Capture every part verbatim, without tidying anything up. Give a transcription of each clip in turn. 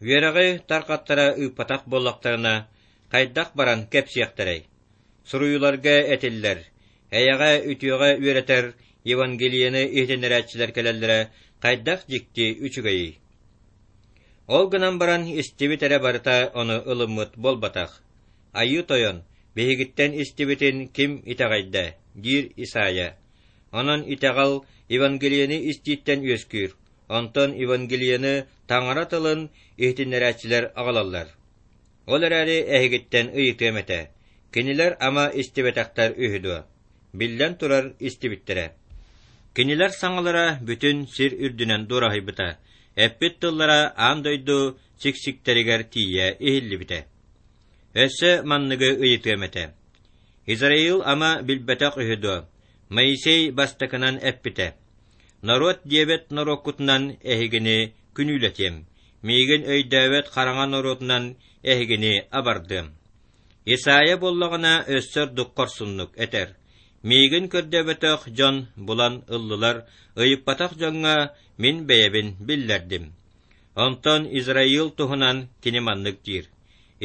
Үөрэҕи тарҕаттара ыыппатах буоллахтарына, хайдах баран кэпсиэхтэрэй? Суруйууларга этиллэр: «Эйэҕэ, үтүөҕэ үөрэтэр Евангелиены иһитиннэрээччилэр кэлэллэрэ хайдах дьикти үчүгэйий!» Ол гынан баран истибит эрэ барыта ону ылыммыт буолбатах. «Айыы Тойон, биһигиттэн истибитин ким итэҕэйдэ?» диир Исайя. Онон итэҕэл Евангелиены истииттэн үөскүүр, онтон Евангелиены Таҥара тылын иһитиннэрээччилэр аҕалаллар. Ол эрээри эһигиттэн ыйытыам этэ: кинилэр ама истибэтэхтэр үһү дуо? Биллэн турар, истибиттэрэ. Кинилэр саҥалара бүтүн сир үрдүнэн дуораһыйбыта, эппит тыллара аан дойду сиксиктэригэр тиийэ иһиллибитэ. Өссө манныгы ыйытыам этэ: Израил ама билбэтэх үһү дуо? Моисей бастакынан эппитэ: «Норуот диэбэт норуоккутунан эһигини күнүүлэтиэм, миигин өйдөөбөт хараҥа норуотунан эһигини абардыам». Исайя буоллаҕына өссө ордук хорсуннук этэр: «Миигин көрдөөбөтөх дьон булан ыллылар, ыйыппатах дьоҥҥо мин бэйэбин биллэрдим». Онтон Израил туһунан кини маннык диир: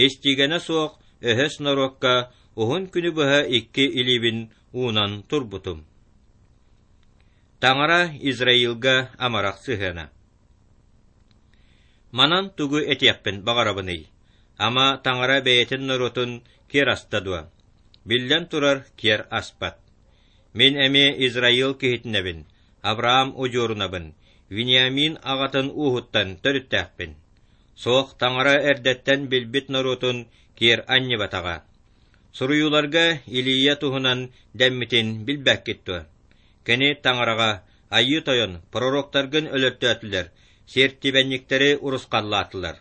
«Истиигэнэ суох өһөс норуокка уһун күнү быһа икки илиибин уунан турбутум». Таҥара Израилга амарах сыһыана. Манан тугу этиэхпин баҕарабыный? Ама Таҥара бэйэтин норуотун киэр аста дуо? Биллэн турар, киэр аспат. Мин эмиэ Израил киһитинэбин, Авраам удьуорунабын, Вениамин аҕатын ууһуттан төрүттээхпин. Суох, Таҥара эрдэттэн билбит норуотун киэр анньыбатаҕа. Суруйууларга Илия туһунан дэммитин билбэккит дуо? Кини Таҥараҕа Айыы Тойон пророктаргын өлөртөөтүлэр, сиэртибэнньиктэри урусхаллаатылар.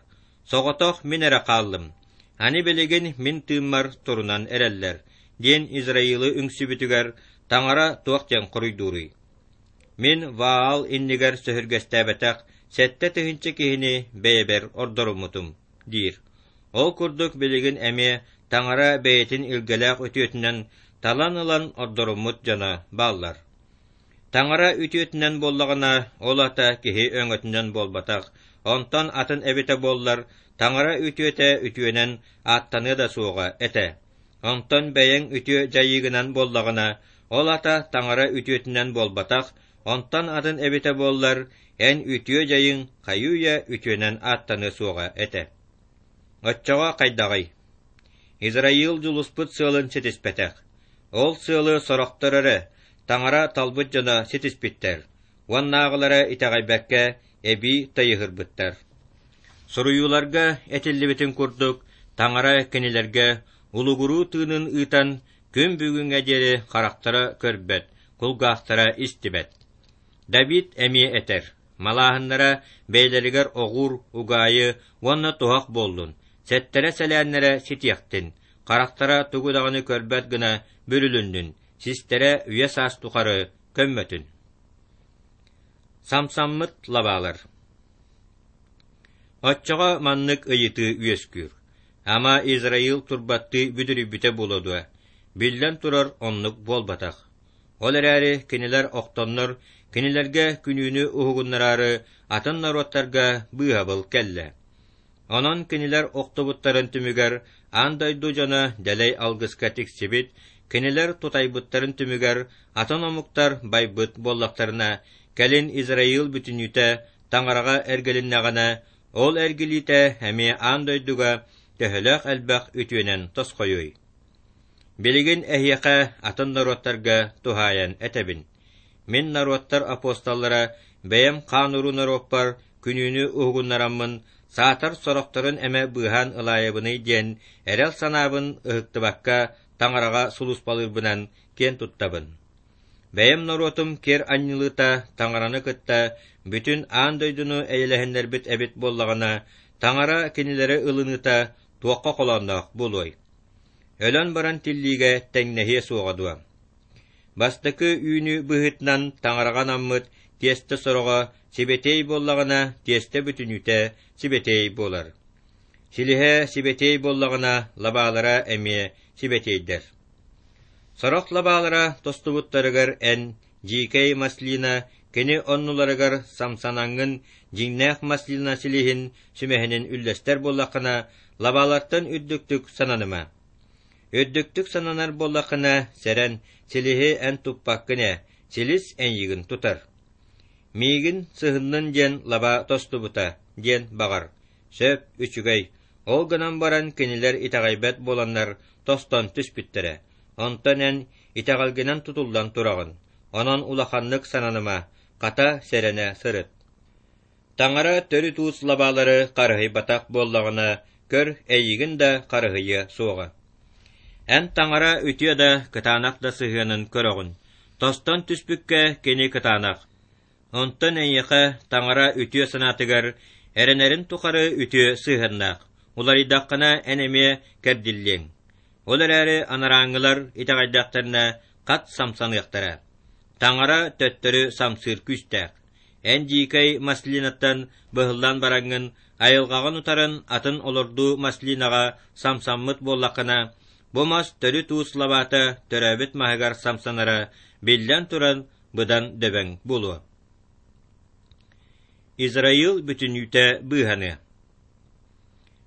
Соҕотох мин эрэ хааллым. Аны билигин мин тыыммар турунан эрэллэр, диэн Израилы үҥсүбүтүгэр Таҥара туох диэн хоруйдууруй? Мин Ваал иннигэр сөһүргэстээбэтэх сэттэ тыһыынча киһини бэйэбэр ордоруммутум, диир. Ол курдук билигин эмиэ Таҥара бэйэтин илгэлээх үтүөтүнэн талан ылан ордоруммут дьоно бааллар. Таҥара үтүөтүнэн буоллаҕына, ол ата киһи өҥөтүнэн буолбатах, онтон атын эбитэ буоллар, Таҥара үтүөтэ үтүөнэн ааттаныа да суоҕа этэ. Онтон бэйэҥ үтүө дьайыыгынан буоллаҕына, ол ата Таҥара үтүөтүнэн буолбатах, онтон атын эбитэ буоллар, эн үтүө дьайыҥ хайыы-үйэ үтүөнэн ааттаныа суоҕа этэ. Оччоҕо хайдаҕый? Израил дьулуспут сыалын ситиспэтэх. Ол сыалы сорохтор эрэ, Таҥара талбыт дьоно ситиспиттэр, уоннааҕылара итэҕэйбэккэ эбии тайыһырбыттар. Суруйууларга этиллибитин курдук, Таҥара кинилэргэ улугуруу тыынын ыытан, күн бүгүҥҥэ диэри харахтара көрбөт, кулгаахтара истибэт. Давид эмиэ этэр: «Малааһыннара бэйэлэригэр оҕуур, угаайы уонна туһах буоллун, сэттэрэ-сэлээннэрэ ситиэхтин, харахтара тугу даҕаны көрбөт гына бүрүлүннүн, систэрэ үйэ-саас тухары көммөтүн». Самсаммыт лабаалар. Оччоҕо маннык ыйытыы үөскүүр: Ама Израил турбаттыы бүдүрүйбүтэ буолуо дуо? Биллэн турар, оннук буолбатах. Ол эрээри кинилэр охтоннор, кинилэргэ күнүүнү уһугуннараары атын норуоттарга быыһабыл кэллэ. Онон кинилэр охтубуттарын түмүгэр аан дойду дьоно дэлэй алгыска тиксибит, кинилэр тутайбыттарын түмүгэр атын омуктар байбыт буоллахтарына, кэлин Израил бүтүннүүтэ Таҥараҕа эргилиннэҕинэ, ол эргилиитэ эмиэ аан дойдуга төһөлөөх элбэх үтүөнэн тосхойуой? Билигин эһиэхэ атын норуоттарга туһаайан этэбин. Мин норуоттар апостоллара бэйэм хаан-уруу норуоппар күнүүнү уһугуннараммын, саатар сорохторун эмэ быыһаан ылаайабыный диэн эрэл санаабын ыһыктыбакка Таҥараҕа сулууспалыырбынан киэн туттабын. Бэйэм норуотум киэр анньылыыта Таҥараны кытта бүтүн аан дойдуну эйэлэһиннэрбит эбит буоллаҕына, Таҥара кинилэри ылыныыта туохха холоонноох буолуой? Өлөн баран тиллиигэ тэҥнэһиэ суоҕа дуо? Бастакы үүнүү быһыытынан Таҥараҕа анаммыт тиэстэ сороҕо сибэтиэй буоллаҕына, тиэстэ бүтүннүүтэ сибэтиэй буолар. Силиһэ сибэтиэй буоллаҕына, лабаалара эмиэ сибэтиэйдэр. Сорох лабаалара тостубуттарыгар эн, дьиикэй маслина, Кини оннуларыгар самсанаҥҥын дьиҥнээх маслина силиһин сүмэһинин үллэстэр буоллаххына, лабаалартан үрдүктүк сананыма. Үрдүктүк сананар буоллаххына, сэрэн, силиһи эн туппаккын ээ, силис эйигин тутар. Миигин сыһыннын диэн лаба тостубута, диэн баҕар. Сөп, үчүгэй. Ол гынан баран кинилэр итэҕэйбэт буоланнар тостон түспүттэрэ. Онтон эн итэҕэлгинэн тутуллан тураҕын. Онон улаханнык сананыма, хата сэрэнэ сырыт. Таҥара төрүт уус лабаалары харыһыйбатах буоллаҕына, көр, эйигин да харыһыйыа суоҕа. Эн Таҥара үтүө да, кытаанах да сыһыанын көрөҕүн. Тостон түспүккэ кини кытаанах. Онтон эйиэхэ Таҥара үтүө санаатыгар эрэнэрин тухары үтүө сыһыаннаах. Уларыйдаххына эн эмиэ кэрдиллиэҥ. Ол эрээри анарааҥҥылар итэҕэйдэхтэринэ хат самсаныахтара. Таҥара төттөрү самсыыр күүстээх. Эн дьиикэй маслинаттан быһыллан бараҥҥын, айылҕаҕын утаран атын олордуу маслинаҕа самсаммыт буоллаххына, бу мас төрүт уус лабаата төрөөбүт маһыгар самсанара, биллэн туран, быдан дөбөҥ буолуо. Израил бүтүннүүтэ быыһаныа.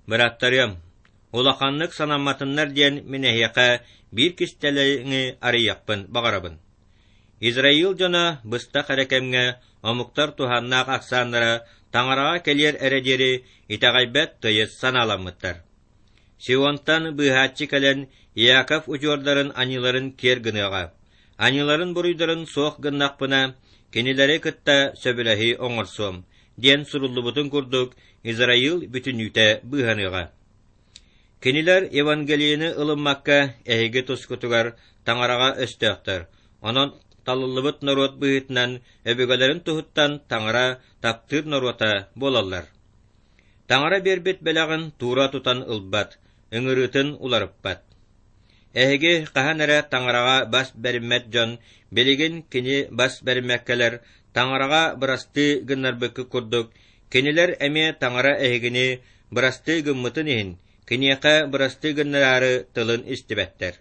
Бырааттарыам, улаханнык санамматыннар диэн мин эһиэхэ биир кистэлэҥи арыйыахпын баҕарабын. Израил дьоно быстах эрэ кэмҥэ омуктар туһааннаах ахсааннара Таҥараҕа кэлиэр эрэ диэри итэҕэйбэт тыйыс санааламмыттар. Сионтан быыһааччы кэлэн Иаков удьуордарын аньыыларын киэр гыныаҕа. Аньыыларын буруйдарын суох гыннахпына, кинилэри кытта сөбүлэһии оҥорсуом, диэн суруллубутун курдук Израил бүтүннүүтэ быыһаныаҕа. Кинилэр Евангелиены ылыммакка эһиги тускутугар Таҥараҕа өстөөхтөр, онон талыллыбыт норуот быһыытынан өбүгэлэрин туһуттан Таҥара таптыыр норуота буолаллар. Таҥара биэрбит бэлэҕин туура тутан ылбат, ыҥырыытын уларыппат. Эһиги хаһан эрэ Таҥараҕа бас бэриммэт дьон, билигин кини бас бэриммэккэлэр Таҥараҕа бырастыы гыннарбыккыт курдук, кинилэр эмиэ Таҥара эһигини бырастыы гыммытын иһин, киниэхэ бырастыы гыннараары тылын истибэттэр.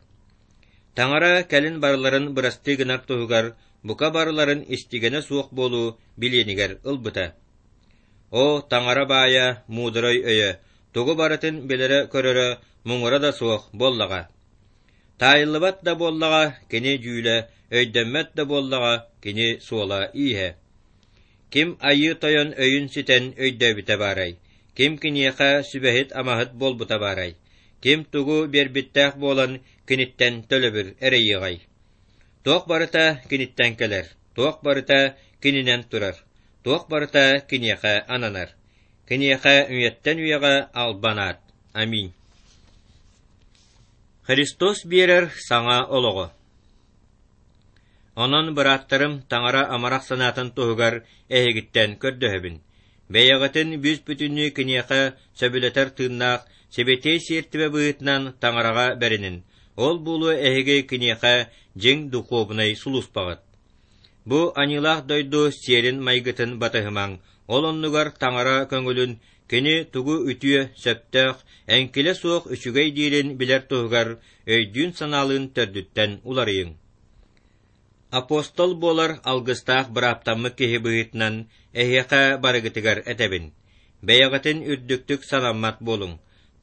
Таҥара кэлин барыларын бырастыы гынар туһугар бука барыларын истигэнэ суох буолуу билиэнигэр ылбыта. О, Таҥара баайа, муударай өйө, тугу барытын билэрэ-көрөрө муҥура да суох буоллаҕа. Таайыллыбат да буоллаҕа кини дьүүлэ, өйдөммөт да буоллаҕа кини суола-ииһэ. Ким Айыы Тойон өйүн ситэн өйдөөбүтэ баарай? Ким киниэхэ сүбэһит-амаһыт буолбута баарай? Ким тугу биэрбиттээх буолан киниттэн төлөбүр эрэйиэҕэй? Туох барыта киниттэн кэлэр, туох барыта кининэн турар, туох барыта киниэхэ ананар. Киниэхэ үйэттэн үйэҕэ албан аат. Аминь. Христос биэрэр саҥа олоҕо. Онон, бырааттарым, Таҥара амарах санаатын туһугар эһигиттэн көрдөһөбүн. Бэйэҕитин бүүс-бүтүннүү киниэхэ сөбүлэтэр тыыннаах сибэтиэй сиэртибэ быһыытынан Таҥараҕа бэринин, ол буолуо эһиги киниэхэ дьиҥ духуобунай сулууспаҕыт. Бу аньыылаах дойду сиэрин-майгытын батыһымаҥ, ол оннугар Таҥара көҥүлүн кини тугу үтүө, сөптөөх, эҥкилэ суох үчүгэй диирин билэр туһугар өйдүүн-санаалыын төрдүттэн уларыйыҥ. Апостол буолар алгыстаах бырааптаммыт киһи быһыытынан эһиэхэ барыгытыгар этэбин. Бэйэҕитин үрдүктүк санаммат буолуҥ.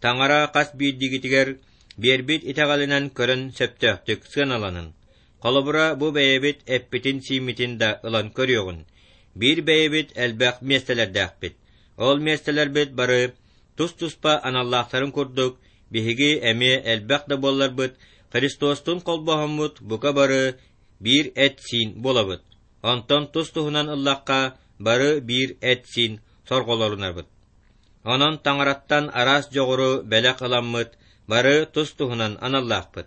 Таҥара хас биирдиигитигэр биэрбит итэҕэлинэн көрөн сөптөөхтүк сыаналанын. Холобура, бу бэйэбит эппитин-сииммитин да ылан көрүөҕүн. Биир бэйэбит элбэх миэстэлэрдээхпит. Ол миэстэлэрбит бары тус-туспа аналлаахтарын курдук, биһиги эмиэ элбэх да буолларбыт, Христостуун холбоһоммут бука бары биир эт-сиин буолабыт. Онтон тус-туһунан ыллахха, бары биир эт-сиин сорҕолорунабыт. Онон Таҥараттан араас дьоҕуру бэлэх ыламмыт, бары тус-туһунан аналлаахпыт.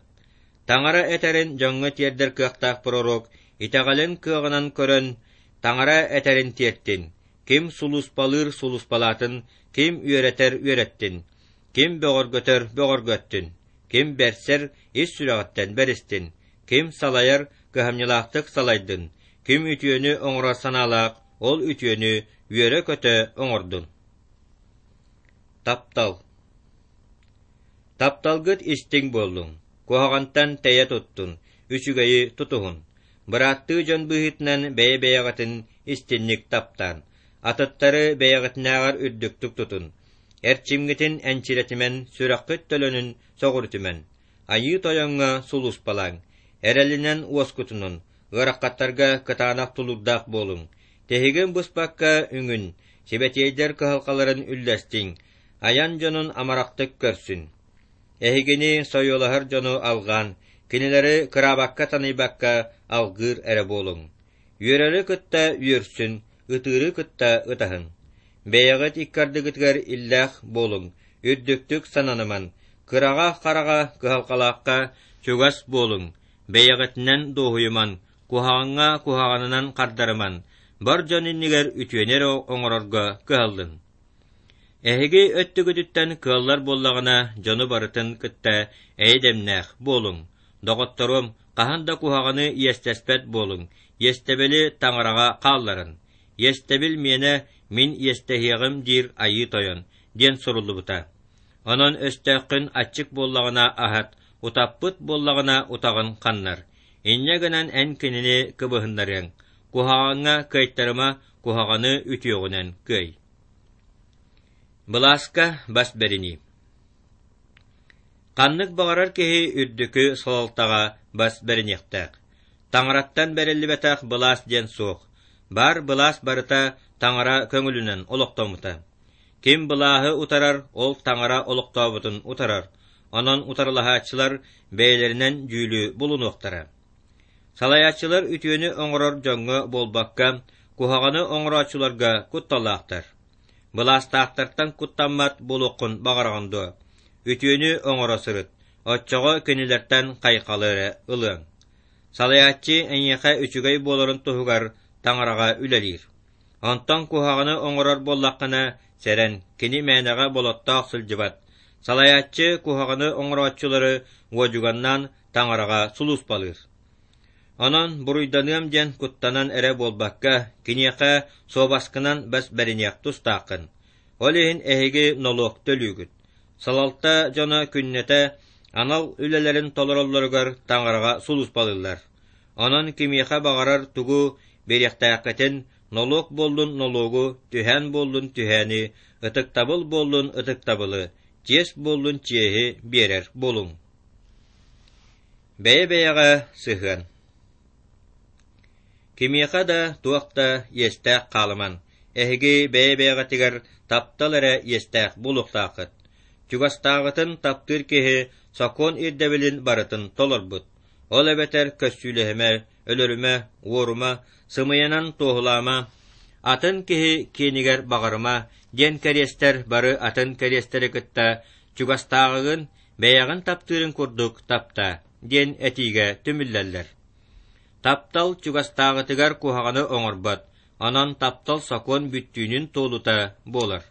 Таҥара этэрин дьоҥҥо тиэрдэр кыахтаах пророк итэҕэлин кыаҕынан көрөн, Таҥара этэрин тиэртин, ким сулууспалыыр сулууспалаатын, ким үөрэтэр үөрэттин, ким бөҕөргөтөр бөҕөргөттүн, ким бэрсэр ис сүрэҕиттэн бэристин, ким салайар кыһамньылаахтык салайдын, ким үтүөнү оҥорор санаалаах, ол үтүөнү үөрэ-көтө оҥордун. Таптал. Тапталгыт истиҥ буоллун, куһаҕантан тэйэ туттун, үчүгэйи тутуһун. Бырааттыы дьон быһыытынан бэйэ-бэйэҕитин истинник таптаан. Атыттары бэйэҕитинээҕэр үрдүктүк тутун. Эрчимҥитин энчирэтимэн, сүрэххит төлөнүн сөҕүрүтүмэн. Айыы Тойоҥҥо сулууспалааҥ. Эрэлинэн уоскутунун, ыарахаттарга кытаанах тулуурдаах буолуҥ. Тиһигин быспакка үҥүн, сибэтиэйдэр кыһалҕаларын үллэстиҥ, айан дьонун амарахтык көрсүн. Эһигини сойуолаһар дьону алҕаан, кинилэри кыраабакка-таныйбакка алгыыр эрэ буолуҥ. Үөрэри кытта үөрсүн, ытыыры кытта ытаһын. Бэйэҕит икки ардыгытыгар иллээх буолуҥ, үрдүктүк сананыман, кыраҕа-хараҕа кыһалҕалаахха чугас буолуҥ, бэйэҕитинэн дуоһуйуман, куһаҕаҥҥа куһаҕанынан хардарыман, бар дьон иннигэр үтүөнү эрэ оҥорорго кыһаллын. Эһиги өттүгүтүттэн кыаллар буоллаҕына, дьону барытын кытта эйэ-дэмнээх буолуҥ. Доҕотторум, хаһан да куһаҕаны иэстэспэт буолуҥ, иэстэбили Таҥараҕа хаалларын. Иэстэбил миэнэ, мин иэстэһиэҕим диир Айыы Тойон, диэн суруллубута. Онон өстөөххүн аччык буоллаҕына аһат, утаппыт буоллаҕына утаҕын ханнар. Инньэ гынан эн кинини кыбыһыннарыаҥ. Куһаҕаҥҥа кыайтарыма, куһаҕаны үтүөҕүнэн кыай. Былааска бас бэринии. Ханнык баҕарар киһи үрдүкү салалтаҕа бас бэриниэхтээх. Таҥараттан бэриллибэтэх былаас диэн суох. Баар былаас барыта Таҥара көҥүлүнэн олохтоммута. Ким былааһы утарар, ол Таҥара олохтообутун утарар. Онон утарылаһааччылар бэйэлэринэн дьүүлү булунуохтара. Салайааччылар үтүөнү оҥорор дьоҥҥо буолбакка, куһаҕаны оҥорооччуларга кутталлаахтар. Былаастаахтартан куттаммат буолуоххун баҕараҕын дуо? Үтүөнү оҥоро сырыт, оччоҕо кинилэртэн хайҕалы эрэ ылыаҥ. Салайааччы эйиэхэ үчүгэй буоларын туһугар Таҥараҕа үлэлиир. Онтон куһаҕаны оҥорор буоллаххына, сэрэн, кини мээнэҕэ болоттоох сылдьыбат. Салайааччы куһаҕаны оҥорооччулары уодьуганнаан Таҥараҕа сулууспалыыр. Онон буруйданыам диэн куттанан эрэ буолбакка, киниэхэ суобаскынан бас бэриниэх тустааххын. Ол иһин эһиги нолуок төлүүгүт. Салалта дьоно күннэтэ анал үлэлэрин толороллоругар Таҥараҕа сулууспалыыллар. Онон кимиэхэ баҕарар тугу биэриэхтээххитин, нолуок буоллун нолуогу, түһээн буоллун түһээни, ытыктабыл буоллун ытыктабылы, чиэс буоллун чиэһи биэрэр буолуҥ. Бэйэ-бэйэҕэ сыһыан. Кимиэхэ да туох да иэстээх хаалыман, эһиги бэйэ-бэйэҕитигэр таптал эрэ иэстээх буолуохтааххыт. Чугастааҕытын таптыыр киһи сокуон ирдэбилин барытын толорбут. Ол эбэтэр көссүүлэһимэ, өлөрүмэ, уорума, сымыйанан туоһулаама, атын киһи киэнигэр баҕарыма диэн кэриэстэр бары атын кэриэстэри кытта чугастааҕыгын бэйэҕин таптыырын курдук таптаа диэн этиигэ түмүллэллэр. Таптал чугастааҕытыгар куһаҕаны оҥорбот, онон таптал сокуон бүттүүнүн туолута буолар.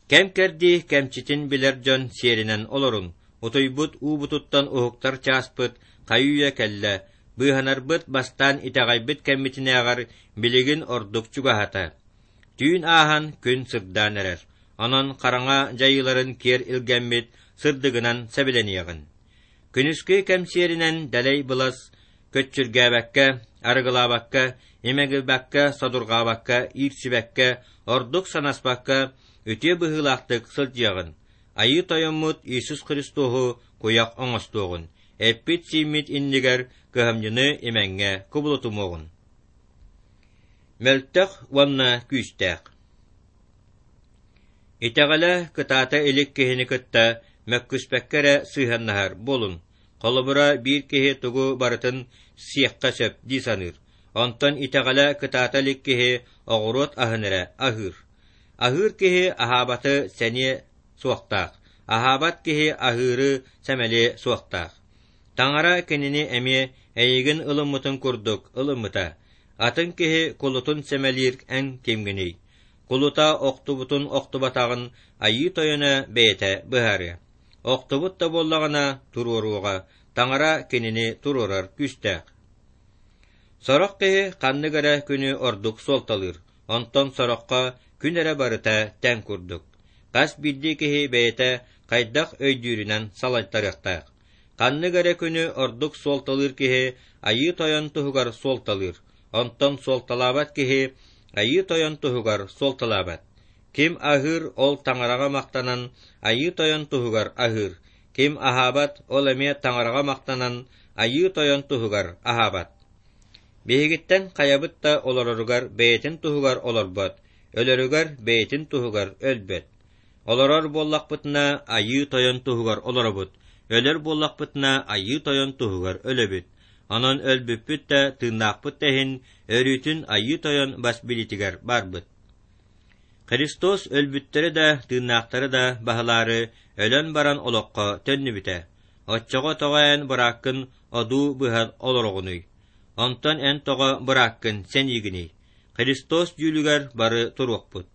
Кэм-кэрдии кэмчитин билэр дьон сиэринэн олоруҥ, утуйбут уубутуттан уһуктар чааспыт хайы-үйэ кэллэ, быыһанарбыт бастаан итэҕэйбит кэммитинээҕэр билигин ордук чугаһата. Түүн ааһан күн сырдаан эрэр, онон хараҥа дьайыыларын киэр илгэммит сырдыгынан сэбилэниэҕин. Күнүскү кэм сиэринэн дэлэй былас көччүргээбэккэ, арыгылаабакка, имэҥирбэккэ, содурҕаабакка, иирсибэккэ, ордук санаспакка, үтүө быһыылаахтык сылдьыаҕын. Айыы Тойоммут Иисус Христоһу куйах оҥостуоҕун, эппит-сииммит иннигэр кыһамньыны имэҥҥэ кубулутумуоҕун. Мөлтөх уонна күүстээх. Итэҕэлэ кытаата илик киһини кытта мөккүспэккэ эрэ сыһыаннаһар буолуҥ. Холобура, биир киһи тугу барытын сиэххэ сөп дии саныыр. Онтон итэҕэлэ кытаата илик киһи оҕуруот аһын эрэ аһыыр. Аһыыр киһи аһаабаты сэниэ суохтаах, аһаабат киһи аһыыры сэмэлиэ суохтаах. Таҥара кинини эмиэ эйигин ылыммытын курдук ылыммыта. Атын киһи кулутун сэмэлиир эн кимҥиний? Кулута охтубутун охтубатаҕын Айыы Тойоно бэйэтэ быһаарыа. Охтубут да буоллаҕына туруоруоҕа, Таҥара кинини туруорар күүстээх. Сорох киһи ханнык эрэ күнү ордук суолталыыр, онтон сороххо күн эрэ барыта тэҥ курдук. Хас биирдии киһи бэйэтэ хайдах өйдүүрүнэн салайтарыахтаах. Ханнык эрэ күнү ордук суолталыыр киһи Айыы Тойон туһугар суолталыыр, Онтон суолталаабат киһи Айыы Тойон туһугар суолталаабат. Ким аһыыр, ол Таҥараҕа махтанан Айыы Тойон туһугар аһыыр. Ким аһаабат, ол эмиэ Таҥараҕа махтанан Айыы Тойон туһугар аһаабат. Биһигиттэн хайабыт да олороругар бэйэтин туһугар олорбот, өлөрүгэр бэйэтин туһугар өлбөт. Олорор буоллахпытына, Айыы Тойон туһугар олоробут, өлөр буоллахпытына, Айыы Тойон туһугар өлөбүт. Онон өлбүппүт да, тыыннаахпыт да иһин, өрүүтүн Айыы Тойон бас билиитигэр барбыт. Христос өлбүттэри да, тыыннаахтары да баһылаары өлөн баран олоххо төннүбүтэ. Оччоҕо тоҕо эн бырааккын одуу быһан олороҕунуй? Онтон эн тоҕо бырааккын сэниигиний? Христос дьүүлүгэр бары туруохпут.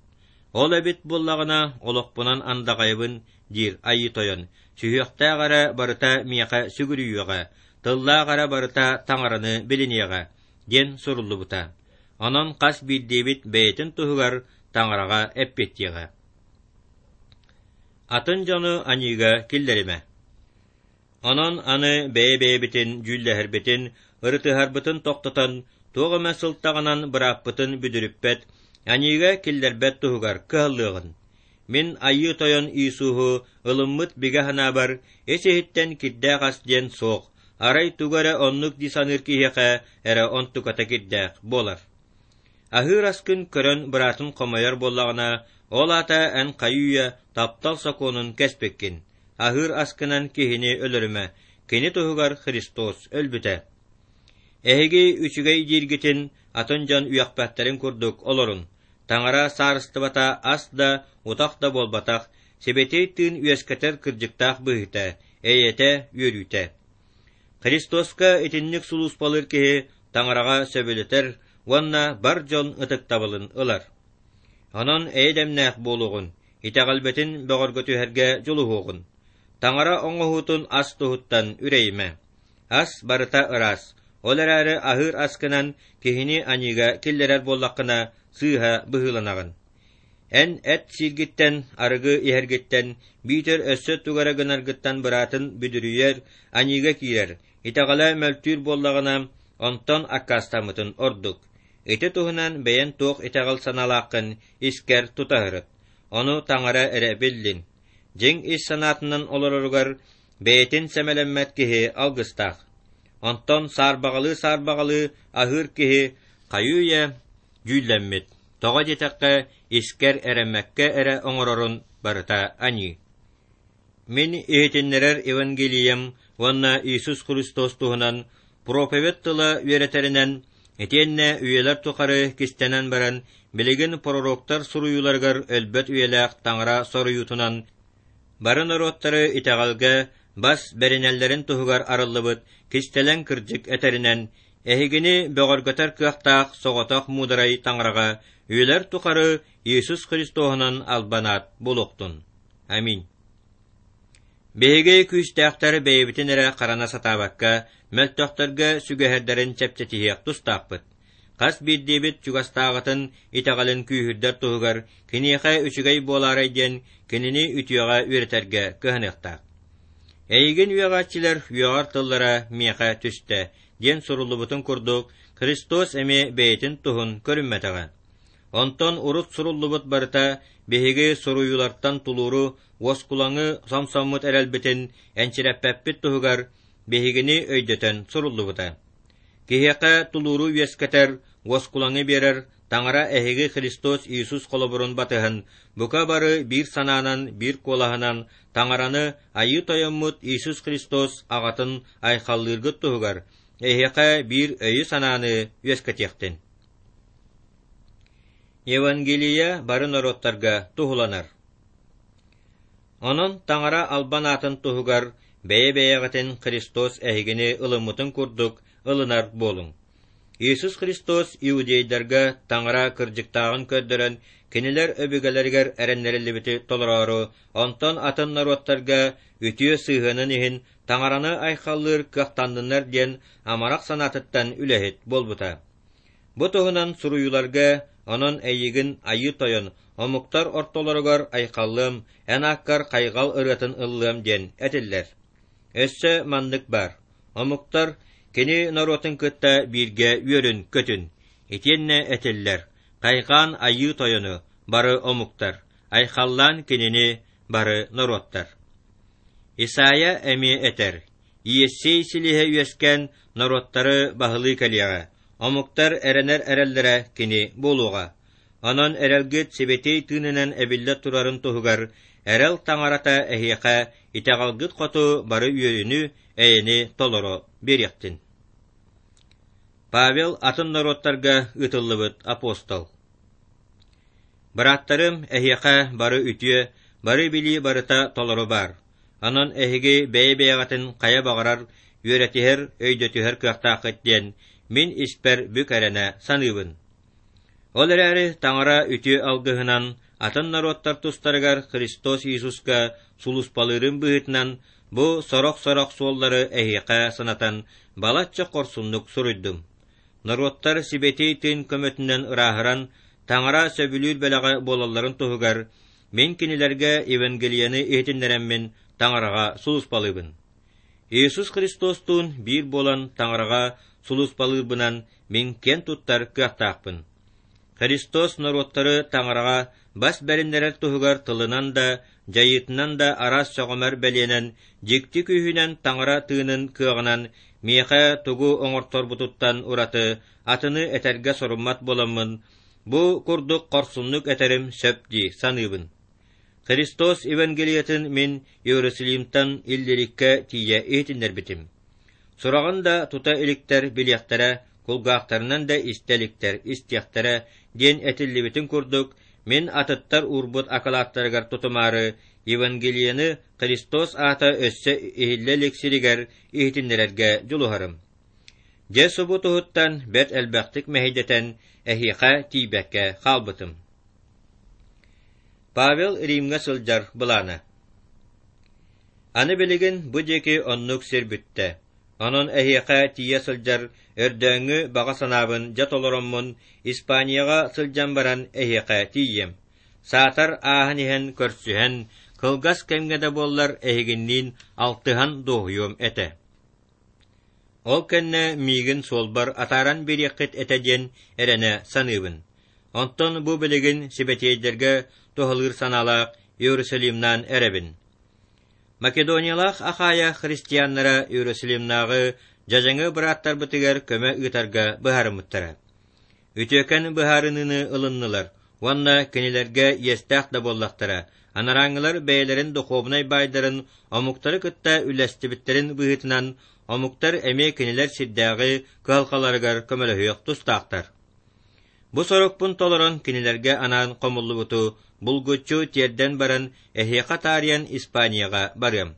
Ол эбит буоллаҕына, олохпунан андаҕайбын, диир Айыы Тойон, сүһүөхтээх эрэ барыта миэхэ сүгүрүйүөҕэ, тыллаах эрэ барыта Таҥараны билиниэҕэ, диэн суруллубута. Онон хас биирдиибит бэйэтин туһугар Таҥараҕа эппиэттиэҕэ. Атын дьону аньыыга киллэримэ. Онон аны бэйэ-бэйэбитин дьүүллэһэрбитин, ырытыһарбытын тохтотон, туох эмэ сылтаҕынан бырааппытын бүдүрүппэт, аньыыга киллэрбэт туһугар кыһаллыаҕын. Мин Айыы Тойон Иисуһу ылыммыт бигэ санаабар ис-иһиттэн кирдээх ас диэн суох, арай тугу эрэ оннук дии саныыр киһиэхэ эрэ онтуката кирдээх буолар. Аһыыр аскын көрөн быраатын хомойор буоллаҕына, ол аата эн хайыы-үйэ таптал сокуонун кэспиккин. Аһыыр аскынан киһини өлөрүмэ, кини туһугар Христос өлбүтэ. Эһиги үчүгэй дииргитин атын дьон үөхпэттэрин курдук олорун. Таҥара саарыстыбата ас да, утах да буолбатах, Сибэтиэй Тыын үөскэтэр кырдьыктаах быһыыта, эйэтэ, үөрүүтэ. Христоска итинник сулууспалыыр киһи Таҥараҕа сөбүлэтэр уонна бар дьон ытыктабылын ылар. Онон эйэ-дэмнээх буолуоҕун, итэҕэлбитин бөҕөргөтүһэргэ дьулуһуоҕун. Таҥара оҥоһуутун ас туһуттан үрэйимэ. Ас барыта ыраас, ол эрээри аһыыр аскынан киһини аньыыга киллэрэр буоллаххына, сыыһа быһыыланаҕын. Эн эт сииргиттэн, арыгы иһэргиттэн, биитэр өссө тугу эрэ гынаргыттан быраатын бүдүрүйэр, аньыыга киирэр, итэҕэлэ мөлтүүр буоллаҕына, онтон аккаастаммытын ордук. Ити туһунан бэйэн туох итэҕэл санаалааххын искэр тута сырыт. Ону Таҥара эрэ биллин. Дьиҥ ис санаатынан олороругар бэйэтин сэмэлэммэт киһи алгыстаах. Онтон саарбаҕалыы-саарбаҕалыы аһыыр киһи хайыы-үйэ дьүүллэммит. Тоҕо диэтэххэ, искэр эрэммэккэ эрэ оҥорорун барыта аньыы. Мин иһитиннэрэр Евангелием уонна Иисус Христос туһунан проповедь тыла үөрэтэринэн, итиэннэ үйэлэр тухары кистэнэн баран, билигин пророктар суруйууларыгар өлбөт үйэлээх Таҥара соруйуутунан бары норуоттары итэҕэлгэ бас бэринэллэрин туһугар арыллыбыт кистэлэҥ кырдьык этэринэн, эһигини бөҕөргөтөр кыахтаах соҕотох муударай Таҥараҕа үйэлэр тухары Иисус Христоһунан албан аат буолуохтун. Аминь. Биһиги күүстээхтэр бэйэбитин эрэ харана сатаабакка, мөлтөхтөргө сүгэһэрдэрин чэпчэтиһиэх тустаахпыт. Хас биирдиибит чугастааҕытын итэҕэлин күүһүрдэр туһугар киниэхэ үчүгэй буолаарай диэн кинини үтүөҕэ үөрэтэргэ кыһаныахтаах. Эйигин үөҕээччилэр үөҕэр тыллара миэхэ түстэ диэн суруллубутун курдук, Христос эмиэ бэйэтин туһун көрүммэтэҕэ. Онтон урут суруллубут барыта биһиги суруйуулартан тулууру, уоскулаҥы сомсоммут эрэлбитин энчирэппэппит туһугар биһигини өйдөтөн суруллубута. Киһиэхэ тулууру үөскэтэр, уоскулаҥы биэрэр Таҥара эһиги Христос Иисус холобурун батыһан, бука бары биир санаанан, биир куолаһынан Таҥараны Айыы Тойоммут Иисус Христос аҕатын айхаллыыргыт туһугар эһиэхэ биир өйү-санааны үөскэтиэхтин. Евангелие бары норуоттарга туһуланар. Онон Таҥара албан аатын туһугар бэйэ-бэйэҕитин Христос эһигини ылыммытын курдук ылынар буолуҥ. Иисус Христос иудейдарга Таҥара кырдьыктааҕын көрдөрөн, кинилэр өбүгэлэригэр эрэннэриллибити толороору, онтон атын норуоттарга үтүө сыһыанын иһин Таҥараны айхаллыыр кыахтанныннар диэн амарах санаатыттан үлэһит буолбута. Бу туһунан суруйууларга онон эйигин Айыы Тойон, омуктар ортолоругар айхаллыам, эн ааккар хайҕал ырыатын ыллыам диэн этиллэр. Өссө маннык баар. Омуктар кини норуотун кытта бииргэ үөрүн-көтүн. Итиэннэ этиллэр: Хайҕаан Айыы Тойону бары омуктар, айхаллаан Кинини бары норуоттар. Исайя эмиэ этэр: Иессей силиһэ үөскээн норуоттары баһылыы кэлиэҕэ, омуктар эрэнэр эрэллэрэ кини буолуоҕа. Онон эрэлгит Сибэтиэй Тыынынан эбиллэ турарын туһугар эрэл Таҥарата эһиэхэ итэҕэлгит хоту бары үөрүүнү, эйэни толоро биэриэхтин. Павел атын норуоттарга ыытыллыбыт апостол. Бырааттарым, эһиэхэ бары үтүө, бары билии барыта толору баар. Онон эһиги бэйэ-бэйэҕитин хайа баҕарар үөрэтиһэр, өйдөтүһэр кыахтааххыт диэн мин испэр бүк эрэнэ саныыбын. Ол эрээри Таҥара үтүө алгыһынан атын норуоттар тустарыгар Христос Иисуска сулууспалыырын быһыытынан бу сорох-сорох суоллары эһиэхэ санатан балачча хорсуннук суруйдум. Норуоттар Сибэтиэй Тыын көмөтүнэн ырааһыран, Таҥара сөбүлүүр бэлэҕэ буолалларын туһугар мин кинилэргэ Евангелиены иһитиннэрэммин Таҥараҕа сулууспалыыбын. Иисус Христостуун биир буолан Таҥараҕа сулууспалыырбынан мин киэн туттар кыахтаахпын. Христос норуоттары Таҥараҕа бас бэриннэрэр туһугар тылынан да, дьайыытынан да араас сөҕүмэр бэлиэнэн, дьикти күүһүнэн Таҥара тыынын кыаҕынан миэхэ тугу оҥорторбутуттан ураты атыны этэргэ соруммат буоламмын, бу курдук хорсуннук этэрим сөп дии саныыбын. Христос Евангелиетын мин Иерусалимтан Иллириккэ тиийэ иһитиннэрбитим. Сураҕын да тута иликтэр билиэхтэрэ, кулгаахтарынан да истэ иликтэр истиэхтэрэ диэн этиллибитин курдук, мин атыттар уурбут акылааттарыгар тутумаары Евангелиены Христос аата өссө иһиллэ илик сиригэр иһитиннэрэргэ дьулуһарым. Дьэ субу туһуттан бэрт элбэхтик мэһэйдэтэн эһиэхэ тиийбэккэ хаалбытым. Павел Римҥэ сылдьар былаана. Аны билигин бу диэки оннук сир бүттэ. Онон эһиэхэ тиийэ сылдьар өрдөөҥҥү баҕа санаабын дьэ толороммун Испанияҕа сылдьан баран эһиэхэ тиийиэм. Саатар ааһан иһэн көрсүһэн, кылгас кэмҥэ да буоллар эһигинниин алтыһан дуоһуйуом этэ. Ол кэннэ миигин суолбар атааран биэриэххит этэ диэн эрэнэ саныыбын. Онтон бу билигин сибэтиэйдэргэ туһалыыр санаалаах Иерусалимнаан эрэбин. Македониялаах Ахайя христианнара Иерусалимнааҕы дьадьаҥы бырааттарбытыгар көмө ыытарга быһаарыммыттара. Үтүөкэн быһаарыныыны ылыннылар уонна кинилэргэ иэстээх да буоллахтара, анарааҥҥылар бэйэлэрин духуобунай баайдарын омуктары кытта үллэстибиттэрин быһыытынан омуктар эмиэ кинилэр сирдээҕи кыһалҕаларыгар көмөлөһүөх тустаахтар. Бу сорукпун толорон кинилэргэ анаан хомуллубуту булгуччу тиэрдэн баран эһиэхэ таарыйан Испанияҕа барыам.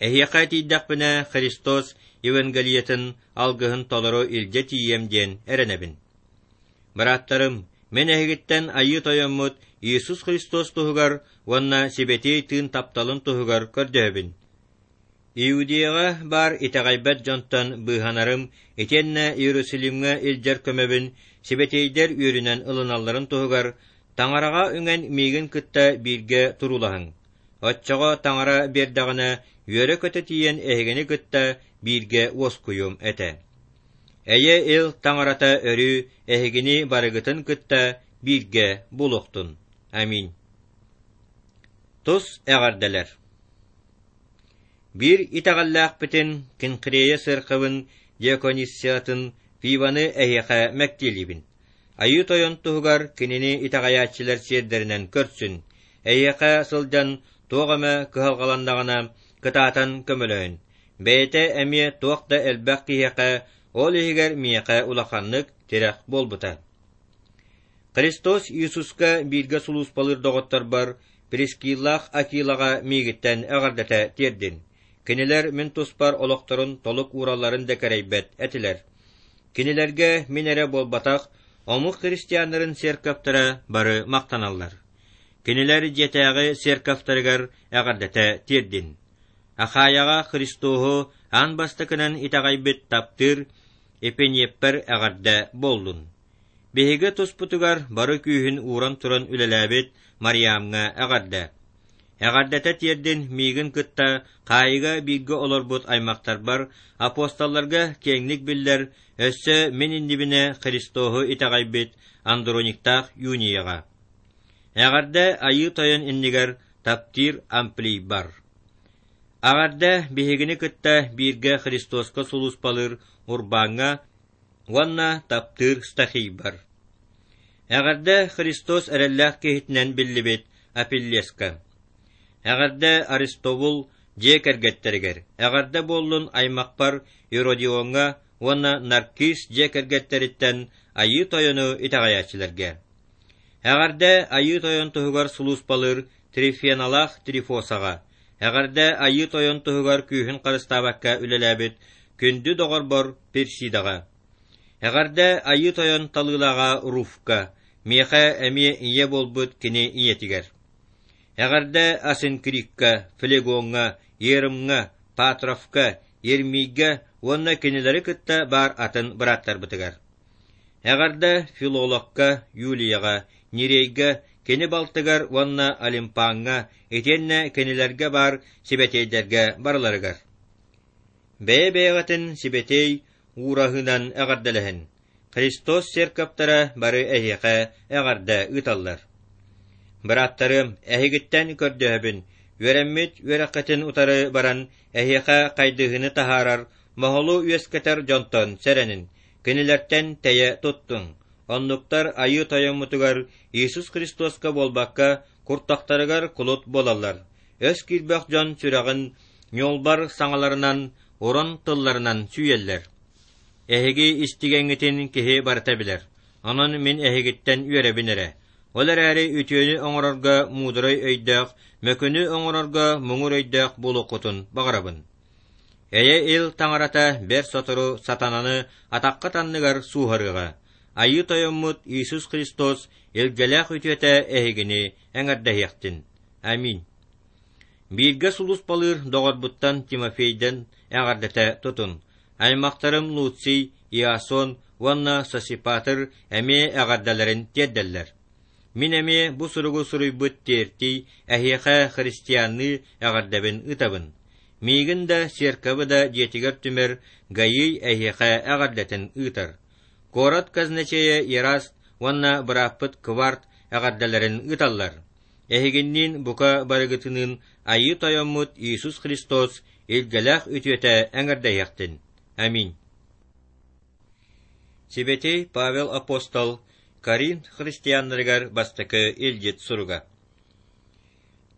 Эһиэхэ тиийдэхпинэ Христос Евангелиетын алгыһын толору илдьэ тиийиэм диэн эрэнэбин. Бырааттарым, мин эһигиттэн Айыы Тойоммут Иисус Христос туһугар уонна Сибэтиэй Тыын тапталын туһугар көрдөһөбүн. Иудеяҕа баар итэҕэйбэт дьонтон быыһанарым итиэннэ Иерусалимҥа илдьэр көмөбүн сибэтиэйдэр үөрүнэн ылыналларын туһугар Таҥараҕа үҥэн миигин кытта бииргэ туруулаһыҥ. Оччоҕо Таҥара биэрдэҕинэ үөрэ-көтө тиийэн эһигини кытта бииргэ уоскуйуом этэ. Эйэ-ил Таҥарата өрүү эһигини барыгытын кытта бииргэ буолуохтун. Аминь. Тус эҕэрдэлэр. Биир итэҕэллээхпитин Кенхрея сыаркабын диакониссатын Фиваны эһиэхэ мэктиэлиибин. Айыы Тойон туһугар кинини итэҕэйээччилэр сиэрдэринэн көрсүн, эйиэхэ сылдьан туох эмэ кыһалҕаланнаҕына кытаатан көмөлөһүн. Бэйэтэ эмиэ туох да элбэх киһиэхэ, ол иһигэр миэхэ улаханнык тирэх буолбута. Христос Иисуска бииргэ сулууспалыыр доҕотторбор Прискиллаах Акилаҕа миигиттэн эҕэрдэтэ тиэрдин. Кинилэр мин туспар олохторун толук ууралларын да кэрэйбэт этилэр. Кинилэргэ мин эрэ буолбатах, омук христианнарын церковтара бары махтаналлар. Кинилэр дьиэтээҕи церковтарыгар эҕэрдэтэ тиэрдин. Ахайаҕа Христоһу аан бастакынан итэҕэйбит таптыыр Эпиниэппэр эҕэрдэ буоллун. Биһиги туспутугар бары күүһүн ууран туран үлэлээбит Мариамҥа эҕэрдэ. Эҕэрдэтэ тиэрдин миигин кытта хаайыыга бииргэ олорбут аймахтарбар, апостолларга киэҥник биллэр, өссө мин иннибинэ Христоһу итэҕэйбит Андрониктаах Юнияҕа. Эҕэрдэ Айыы Тойон иннигэр таптыыр Амплийбар. Эҕэрдэ биһигини кытта бииргэ Христоска сулууспалыыр Урбаҥҥа уонна таптыыр Стахийбар. Эҕэрдэ Христос эрэллээх киһитинэн биллибит Апеллеска. Эҕэрдэ Аристобул дьиэ кэргэттэригэр, эҕэрдэ буоллун аймахпар Иродиоҥҥа уонна Наркис дьиэ кэргэттэриттэн Айыы Тойону итэҕэйээччилэргэ. Эҕэрдэ Айыы Тойон туһугар сулууспалыыр Трифеналаах Трифосаҕа, эҕэрдэ Айыы Тойон туһугар күүһүн харыстаабакка үлэлээбит күндү доҕорбор Персидаҕа. Эҕэрдэ Айыы Тойон талыылааҕа Руфка, миэхэ эмиэ ийэ буолбут кини ийэтигэр. Эҕэрдэ Асинкрикка, Флегоҥҥа, Ерымҥа, Патровка, Ермийгэ уонна кинилэри кытта баар атын бырааттарбытыгар. Эҕэрдэ Филологка, Юлияҕа, Нирейгэ, кини балтыгар уонна Олимпаҥҥа, итиэннэ кинилэргэ баар сибэтиэйдэргэ барыларыгар. Бэйэ-бэйэҕитин сибэтиэй уураһыынан эҕэрдэлэһин. Христос церковтара бары эһиэхэ эҕэрдэ ыыталлар. Бырааттарым, эһигиттэн көрдөһөбүн, үөрэммит үөрэххитин утары баран эһиэхэ хайдыһыыны таһаарар, моһолу үөскэтэр дьонтон сэрэнин, кинилэртэн тэйэ туттуҥ. Оннуктар Айыы Тойоммутугар Иисус Христоска буолбакка, куртахтарыгар кулут буолаллар. Өс киирбэх дьон сүрэҕин ньуолбар саҥаларынан, уран тылларынан сүүйэллэр. Эһиги истигэҥҥитин киһи барыта билэр. Онон мин эһигиттэн үөрэбин эрэ. Ол эрээри үтүөнү оҥорорго муударай өйдөөх, мөкүнү оҥорорго муҥур өйдөөх буолуоххутун баҕарабын. Эйэ-ил таҥарата бэрт сотору сатананы атаххыт анныгар сууһарыаҕа. Айыы Тойоммут Иисус Христос илгэлээх үтүөтэ эһигини эҥэрдэһиэхтин. Аминь. Бииргэ сулууспалыыр доҕорбуттан Тимофейдэн эҕэрдэтэ тутун. Аймахтарым Луций, Иасон уонна Сосипатр эмиэ эҕэрдэлэрин тиэрдэллэр. Мин эмиэ бу суругу суруйбут Тертий эһиэхэ христианныы эҕэрдэбин ыытабын. Миигин да, церковы да дьиэтигэр түмэр Гаий эһиэхэ эҕэрдэтин ыытар. Куорат казначейа Ераст уонна бырааппыт Кварт эҕэрдэлэрин ыыталлар. Эһигинниин бука барыгытыныын Айыы Тойоммут Иисус Христос илгэлээх үтүөтэ эҥэрдэһиэхтин. Аминь. Сибэтиэй Павел апостол Коринф христианнарыгар бастакы илдьит суруга.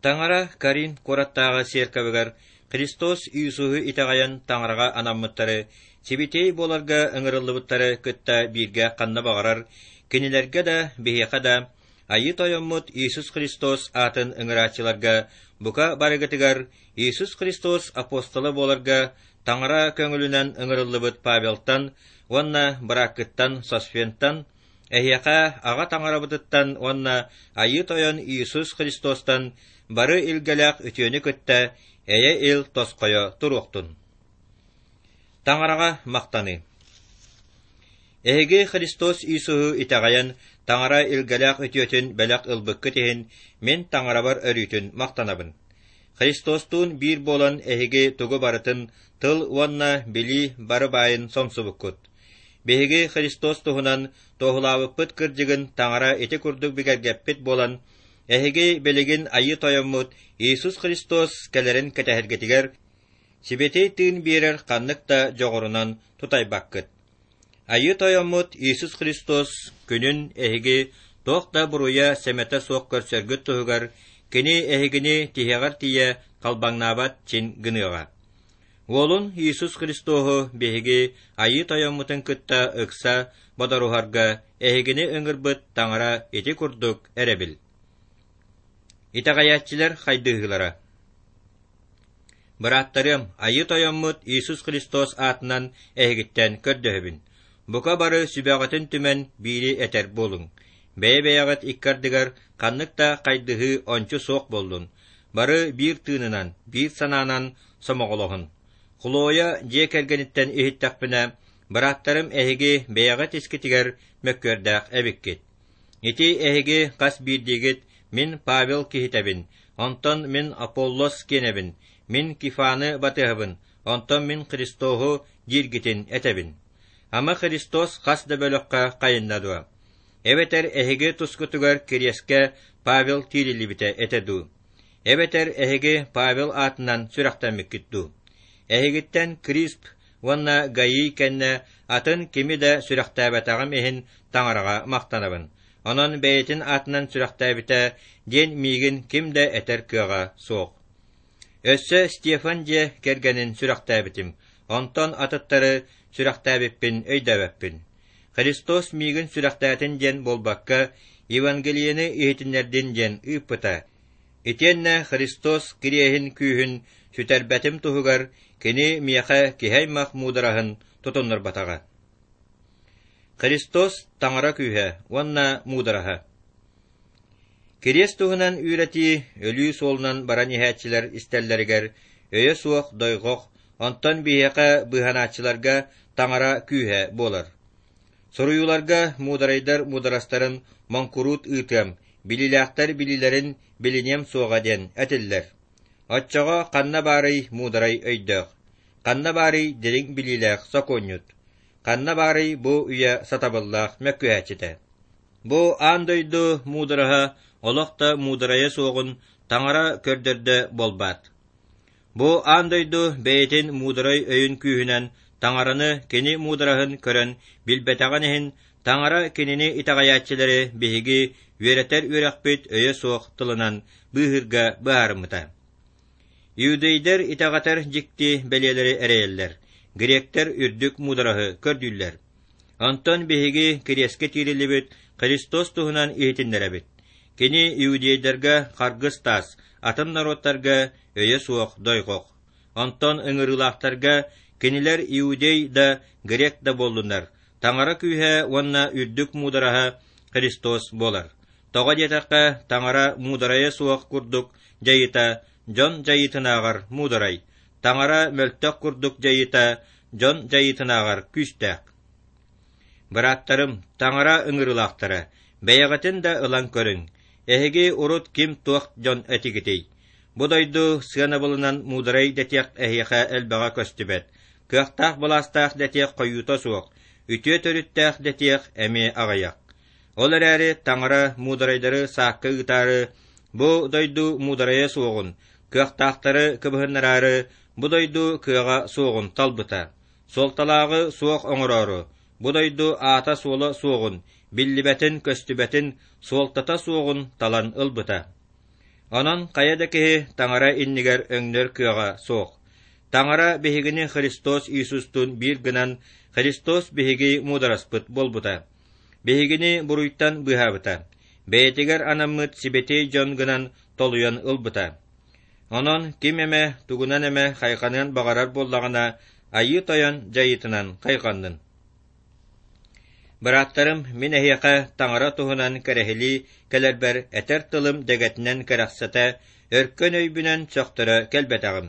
Таҥара Коринф куораттааҕы церковыгар Христос Иисуһу итэҕэйэн таҥараҕа анаммыттары, сибэтиэй буоларга ыҥырыллыбыттары кытта бииргэ ханна баҕарар, кинилэргэ да, биһиэхэ да, Айыы Тойоммут Иисус Христос аатын ыҥырааччыларга бука барыгытыгар Иисус Христос апостола буоларга таҥара көҥүлүнэн ыҥырыллыбыт Павелтан уонна бырааккыттан Сосфентан, эһиэхэ Аҕа Таҥарабытыттан уонна Айыы Тойон Иисус Христостан бары илгэлээх үтүөнү кытта эйэ-ил тосхойо туруохтун. Таҥараҕа махтаныы. Эһиги Христос Иисуһу итэҕэйэн, Таҥара илгэлээх үтүөтүн бэлэх ылбыккыт иһин, мин Таҥарабар өрүүтүн махтанабын. Христостуун биир буолан эһиги тугу барытын тыл уонна билии бары баайын сомсубуккут. Биһиги Христос туһунан туоһулаабыппыт кырдьыгын Таҥара ити курдук бигэргэппит буолан, эһиги билигин Айыы Тойоммут Иисус Христос кэлэрин кэтэһэргитигэр Сибэтиэй Тыын биэрэр ханнык да дьоҕурунан тутайбаккыт. Айыы Тойоммут Иисус Христос күнүн эһиги туох да буруйа сэмэтэ суох көрсөргүт туһугар Кини эһигини тиһэҕэр тиийэ халбаҥнаабат чин гыныаҕа. Уолун Иисус Христоһу биһиги Айыы Тойоммутун кытта ыкса бодоруһарга эһигини ыҥырбыт Таҥара ити курдук эрэбил. Итэҕэйээччилэр хайдыһыылара. Бырааттарыам, Айыы Тойоммут Иисус Христос аатынан эһигиттэн көрдөһөбүн. Бука бары сүбэҕитин түмэн биири этэр буолуҥ. Бэйэ-бэйэҕит икки ардыгар ханнык да хайдыһыы ончу суох буоллун. Бары биир тыынынан, биир санаанан сомоҕолоһун. Хлоя дьиэ кэргэниттэн иһиттэхпинэ, бырааттарым эһиги бэйэҕит искитигэр мөккүөрдээх эбиккит. Ити эһиги хас биирдиигит мин Павел киһитэбин, онтон мин Аполлос киэнэбин, мин Кифаны батыһабын, онтон мин Христоһу дииргитин этэбин. Ама Христос хас да бөлөххө хайынна дуо? Эбэтэр эһиги тускутугар кириэскэ Павел тиириллибитэ этэ дуу? Эбэтэр эһиги Павел аатынан сүрэхтэммиккит дуу? Эһигиттэн Крисп уонна Гаий кэннэ атын кими да сүрэхтээбэтэҕим иһин Таҥараҕа махтанабын. Онон бэйэтин аатынан сүрэхтээбитэ диэн миигин ким да этэр кыаҕа суох. Өссө Стефан дьиэ кэргэнин сүрэхтээбитим, онтон атыттары сүрэхтээбиппин өйдөөбөппүн. Христос миигин сүрэхтээтин диэн буолбакка, Евангелиены иһитиннэрдин диэн ыыппыта. Итиэннэ Христос кириэһин күүһүн сүтэрбэтим туһугар кини миэхэ киһи аймах муудараһын тутуннарбатаҕа. Христос Таҥара күүһэ уонна муудараһа. Кириэс туһунан үөрэтии өлүү суолунан баран иһээччилэр истэллэригэр өйө суох дойҕох, онтон биһиэхэ быыһанааччыларга Таҥара күүһэ буолар. Суруйууларга муударайдар муударастарын моҥкуруут ыытыам, билиилээхтэр билиилэрин билиниэм суоҕа диэн этиллэр. Оччоҕо ханна баарый муударай өйдөөх? Ханна баарый дириҥ билиилээх сокуонньут? Ханна баарый бу үйэ сатабыллаах мөккүһээччитэ? Бу аан дойду муудараһа олох да муударайа суоҕун Таҥара көрдөрдө буолбаат. Бу аан дойду бэйэтин муударай өйүн күүһүнэн Таҥараны кини муудараһын көрөн билбэтэҕин иһин Таҥара кинини итэҕэйээччилэри биһиги үөрэтэр үөрэхпит өйө суох тылынан быыһыырга быһаарыммыта. Иудейдэр итэҕэтэр дьикти бэлиэлэри эрэйэллэр, гректэр үрдүк муудараһы көрдүүллэр. Онтон биһиги кириэскэ тиириллибит Христос туһунан иһитиннэрэбит. Кини иудейдарга харгыс таас, атын норуоттарга өйө суох дойҕох. Онтон ыҥырыылаахтарга кинилэр иудей да, грек да буоллуннар, Таҥара күүһэ уонна үрдүк муудараһа Христос буолар. Тоҕо диэтэххэ, Таҥара муударайа суох курдук дьайыыта дьон дьайыытынааҕар муударай, Таҥара мөлтөх курдук дьайыыта дьон дьайыытынааҕар күүстээх. Бырааттарым, Таҥара ыҥырыылаахтара, бэйэҕитин да ылан көрүҥ. Эһиги урут ким-туох дьон этигитий? Бу дойду сыанабылынан муударай дэтиэх эһиэхэ элбэҕэ көстүбэт, кыахтаах былаастаах дэтиэх хойуута суох, үтүө төрүттээх дэтиэх эмиэ аҕыйах. Ол эрээри Таҥара муударайдары саакка ыытаары, бу дойду муударайа суоҕун, кыахтаахтары кыбыһыннараары, бу дойду кыаҕа суоҕун талбыта. Суолталааҕы суох оҥороору, бу дойду аата-суола суоҕун, биллибэтин-көстүбэтин, суолтата суоҕун талан ылбыта. Онон хайа да киһи Таҥара иннигэр өҥнөр кыаҕа суох. Таҥара биһигини Христос Иисустуун биир гынан, Христос биһиги муудараспыт буолбута. Биһигини буруйтан быыһаабыта, бэйэтигэр анаммыт сибэтиэй дьон гынан толуйан ылбыта. Онон ким эмэ тугунан эмэ хайҕаныан баҕарар буоллаҕына, Айыы Тойон дьайыытынан хайҕаннын. Бырааттарым, мин эһиэхэ Таҥара туһунан кэрэһилии кэлэрбэр этэр тылым дэгэтинэн кэрэхсэтэ, өркөн өйбүнэн сөхтөрө кэлбэтэҕим.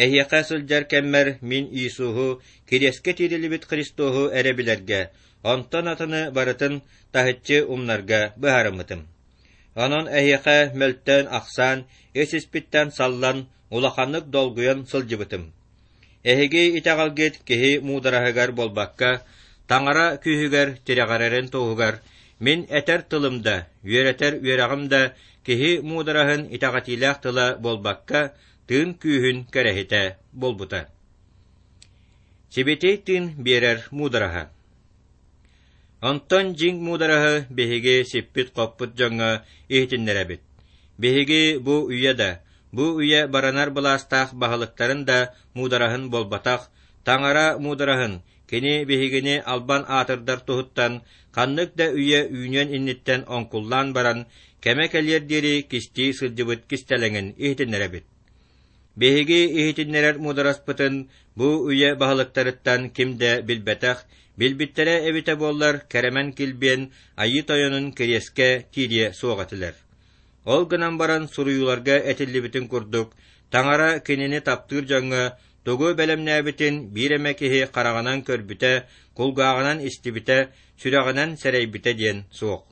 Эһиэхэ сылдьар кэммэр мин Иисуһу, кириэскэ тиириллибит Христоһу эрэ билэргэ, онтон атыны барытын таһыччы умнарга быһаарыммытым. Онон эһиэхэ мөлтөөн-ахсаан, ис-испиттэн саллан, улаханнык долгуйан сылдьыбытым. Эһиги итэҕэлгит киһи муудараһыгар буолбакка, Таҥара күүһүгэр тирэҕирэрин туһугар мин этэр тылым да, үөрэтэр үөрэҕим да киһи муудараһын итэҕэтиилээх тыла буолбакка, тыын күүһүн кэрэһитэ буолбута. Сибэтиэй тыын биэрэр муудараһа. Онтон дьиҥ муудараһы биһиги сиппит-хоппут дьоҥҥо иһитиннэрэбит. Биһиги бу үйэ да, бу үйэ баранар былаастаах баһылыктарын да муудараһын буолбатах, Таҥара муудараһын, кини биһигини албан аатырдар туһуттан ханнык да үйэ үүнүөн инниттэн оҥкуллаан баран, кэмэ кэлиэр диэри кистии сылдьыбыт кистэлэҥин иһитиннэрэбит. Биһиги иһитиннэрэр муудараспытын бу үйэ баһылыктарыттан ким да билбэтэх, билбиттэрэ эбитэ буоллар кэрэмэн килбиэн Айыы Тойонун кириэскэ киириэ суох этилэр. Ол гынан баран суруйууларга этиллибитин курдук, Таҥара кинини таптыыр дьоҥҥо тугу бэлэмнээбитин биир эмэ киһи хараҕынан көрбүтэ, кулгааҕынан истибитэ, сүрэҕинэн сэрэйбитэ диэн суох.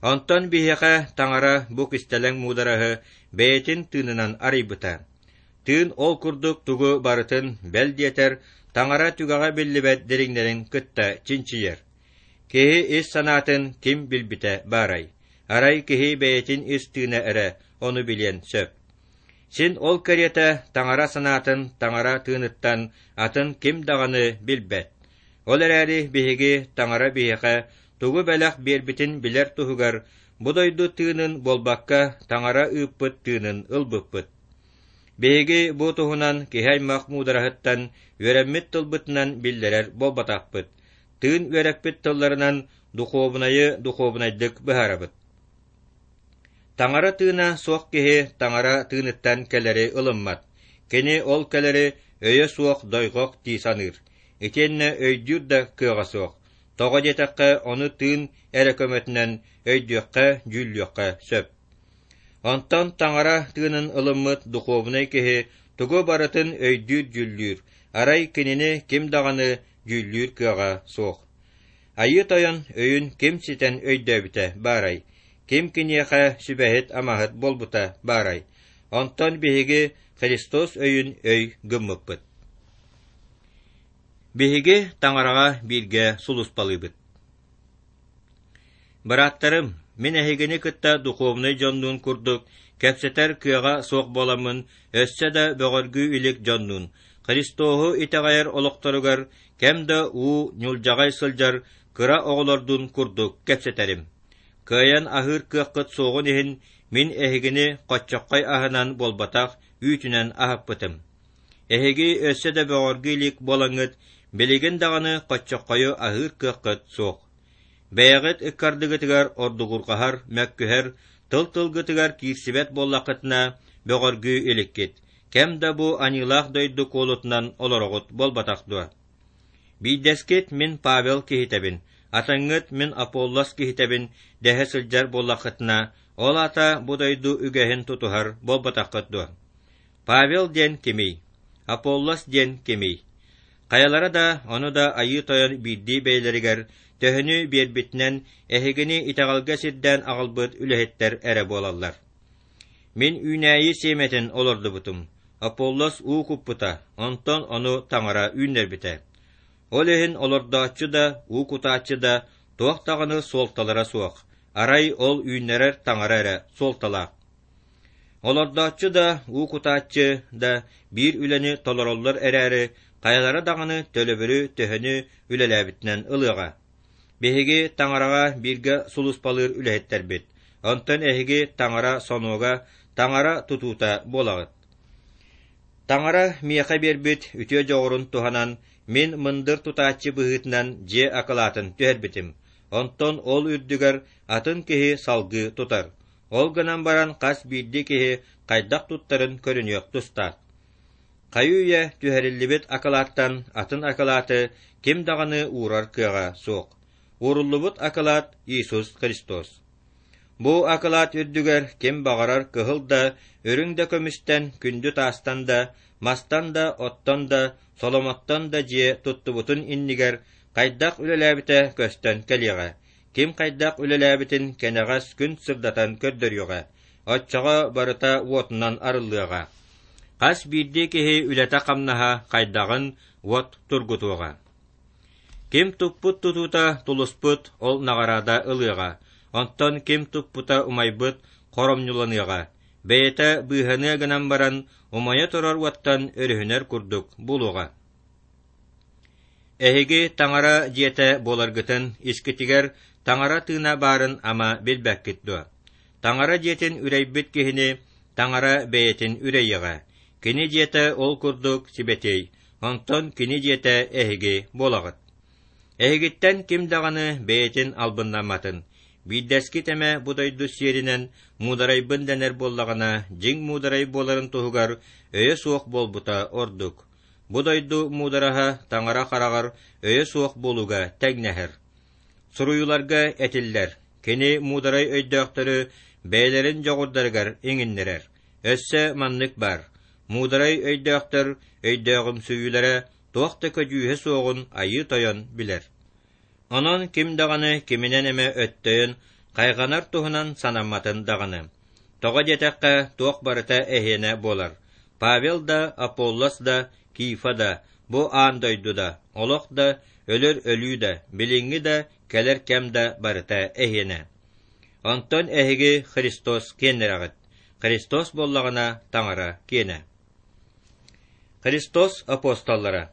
Онтон биһиэхэ Таҥара бу кистэлэҥ муудараһы бэйэтин тыынынан арыйбыта. Тыын ол курдук тугу барытын, бэл диэтэр, Таҥара түгэҕэ биллибэт дириҥнэрин кытта чинчийэр. Киһи ис санаатын ким билбитэ баарай? Арай киһи бэйэтин ис тыына эрэ ону билиэн сөп. Син ол кэриэтэ Таҥара санаатын Таҥара тыыныттан атын ким даҕаны билбэт. Ол эрээри биһиги Таҥара биһиэхэ тугу бэлэх биэрбитин билэр туһугар бу дойду тыынын буолбакка Таҥара ыыппыт тыынын ылбыппыт. Биһиги бу туһунан киһи аймах муудараһыттан үөрэммит тылбытынан биллэрэр буолбатахпыт. Тыын үөрэппит тылларынан духуобунайы духуобунайдык быһаарабыт. Таҥара тыына суох киһи Таҥара тыыныттан кэлэри ылыммат. Кини ол кэлэри өйө суох дойҕох дии саныыр. Итиэннэ өйдүүр да кыаҕа суох. Тоҕо диэтэххэ, ону тыын эрэ көмөтүнэн өйдүөххэ, дьүүллүөххэ сөп. Онтон Таҥара тыынын ылыммыт духуобунай киһи тугу барытын өйдүүр-дьүүллүүр, арай кинини ким даҕаны дьүүллүүр кыаҕа суох. Айыы Тойон өйүн ким ситэн өйдөөбүтэ баарай, ким киниэхэ сүбэһит-амаһыт буолбута баарай. Онтон биһиги Христос өйүн өй гыммыппыт. Биһиги Таҥараҕа бииргэ сулууспалыыбыт. Бырааттарым, мин эһигини кытта духовнай дьоннуун курдук кэпсэтэр кыаҕа суох буоламмын, өссө да бөҕөргүү илик дьоннуун, Христоһу итэҕэйэр олохторугар кэм да уу ньулдьаҕай сылдьар кыра оҕолордуун курдук кэпсэтэрим. Кыайан аһыыр кыаххыт суоҕун иһин, мин эһигини хоччоххой аһынан буолбатах үүтүнэн аһаппытым. Эһиги өссө да бөҕөргүү илик буолаҥҥыт, билигин даҕаны хоччоххойу аһыыр кыаххыт суох. Бэйэҕит ыккардыгытыгар ордугурҕаһар, мөккүһэр, тыл-тылгытыгар киирсибэт буоллаххытына, бөҕөргүү иликкит. Кэм да бу аньыылаах дойду куолутунан олороҕут буолбатах дуо? Биирдэскит мин Павел киһитэбин, атыҥҥыт мин Аполлос киһитэбин дэһэ сылдьар буоллаххытына, ол аата бу дойду үгэһин тутуһар буолбатаххыт дуо? Павел диэн кимий? Аполлос диэн кимий? Хайалара да, ону да Айыы Тойон биирдии бэйэлэригэр төһөнү биэрбитинэн эһигини итэҕэлгэ сирдээн аҕалбыт үлэһиттэр эрэ буолаллар. Мин үүнээйи сиэмэтин олордубутум, Аполлос уу куппута, онтон ону Таҥара үүннэрбитэ. Ол иһин олордооччу да, уу кутааччы да туох даҕаны суолталара суох, арай ол үүннэрэр Таҥара эрэ суолталаах. Олордооччу да, уу кутааччы да биир үлэни толороллор эрээри, хайалара даҕаны төлөбүрү төһөнү үлэлээбитинэн ылыаҕа. Биһиги Таҥараҕа бииргэ сулууспалыыр үлэһиттэрбит, онтон эһиги Таҥара сонуога, Таҥара тутуута буолаҕыт. Таҥара миэхэ биэрбит үтүө дьоҕурун туһанан, мин мындыр тутааччы быһыытынан дьиэ акылаатын түһэрбитим, онтон ол үрдүгэр атын киһи салгыы тутар. Ол гынан баран хас биирдии киһи хайдах туттарын көрүнүөх тустаах. Хайы-үйэ түһэриллибит акылааттан атын акылааты ким даҕаны уурар кыаҕа суох. Ууруллубут акылаат Иисус Христос. Бу акылаат үрдүгэр ким баҕарар кыһыл да, үрүҥ да көмүстэн, күндү таастан да, мастан да, оттон да, соломоттон да дьиэ туттубутун иннигэр хайдах үлэлээбитэ көстөн кэлиэҕэ. Ким хайдах үлэлээбитин кэнэҕэс күн сырдатан көрдөрүөҕэ. Оччоҕо барыта уотунан арыллыаҕа. Хас биирдии киһи үлэтэ-хамнаһа хайдаҕын уот тургутуоҕа. Ким туппут тутуута тулуспут, ол наҕараада ылыаҕа. Онтон ким туппута умайбыт, хоромньуланыаҕа. Бэйэтэ быыһаныа гынан баран, умайа турар уоттан өрүһүнэр курдук буолуоҕа. Эһиги Таҥара дьиэтэ буоларгытын искитигэр Таҥара тыына баарын ама билбэккит дуо? Таҥара дьиэтин үрэйбит киһини Таҥара бэйэтин үрэйиэҕэ. Кини дьиэтэ ол курдук сибэтиэй, онтон кини дьиэтэ эһиги буолаҕыт. Эһигиттэн ким даҕаны бэйэтин албыннамматын. Биирдэскит эмэ бу дойду сиэринэн муударайбын дэнэр буоллаҕына, дьиҥ муударай буоларын туһугар өйө суох буолбута ордук. Бу дойду муудараһа Таҥара хараҕар өйө суох буолууга тэҥнэһэр. Суруйууларга этиллэр: кини муударай өйдөөхтөрү бэйэлэрин дьоҕурдарыгар иҥиннэрэр. Өссө маннык баар: муударай өйдөөхтөр өйдөөҕүмсүйүүлэрэ туох да көдьүүһэ суоҕун Айыы Тойон билэр. Онон ким даҕаны киминэн эмэ өттөйөн, Хайҕанар туһунан санамматын даҕаны. Тоҕо диэтэххэ, туох барыта эһиэнэ буолар. Павел да, Аполлос да, Кифа да, бу аан дойду да, олох да, өлөр өлүү да, билиҥҥи да, кэлэр кэм да барыта эһиэнэ. Онтон эһиги Христос киэннэрэҕит. Христос буоллаҕына Таҥара киэнэ. Христос апостоллара.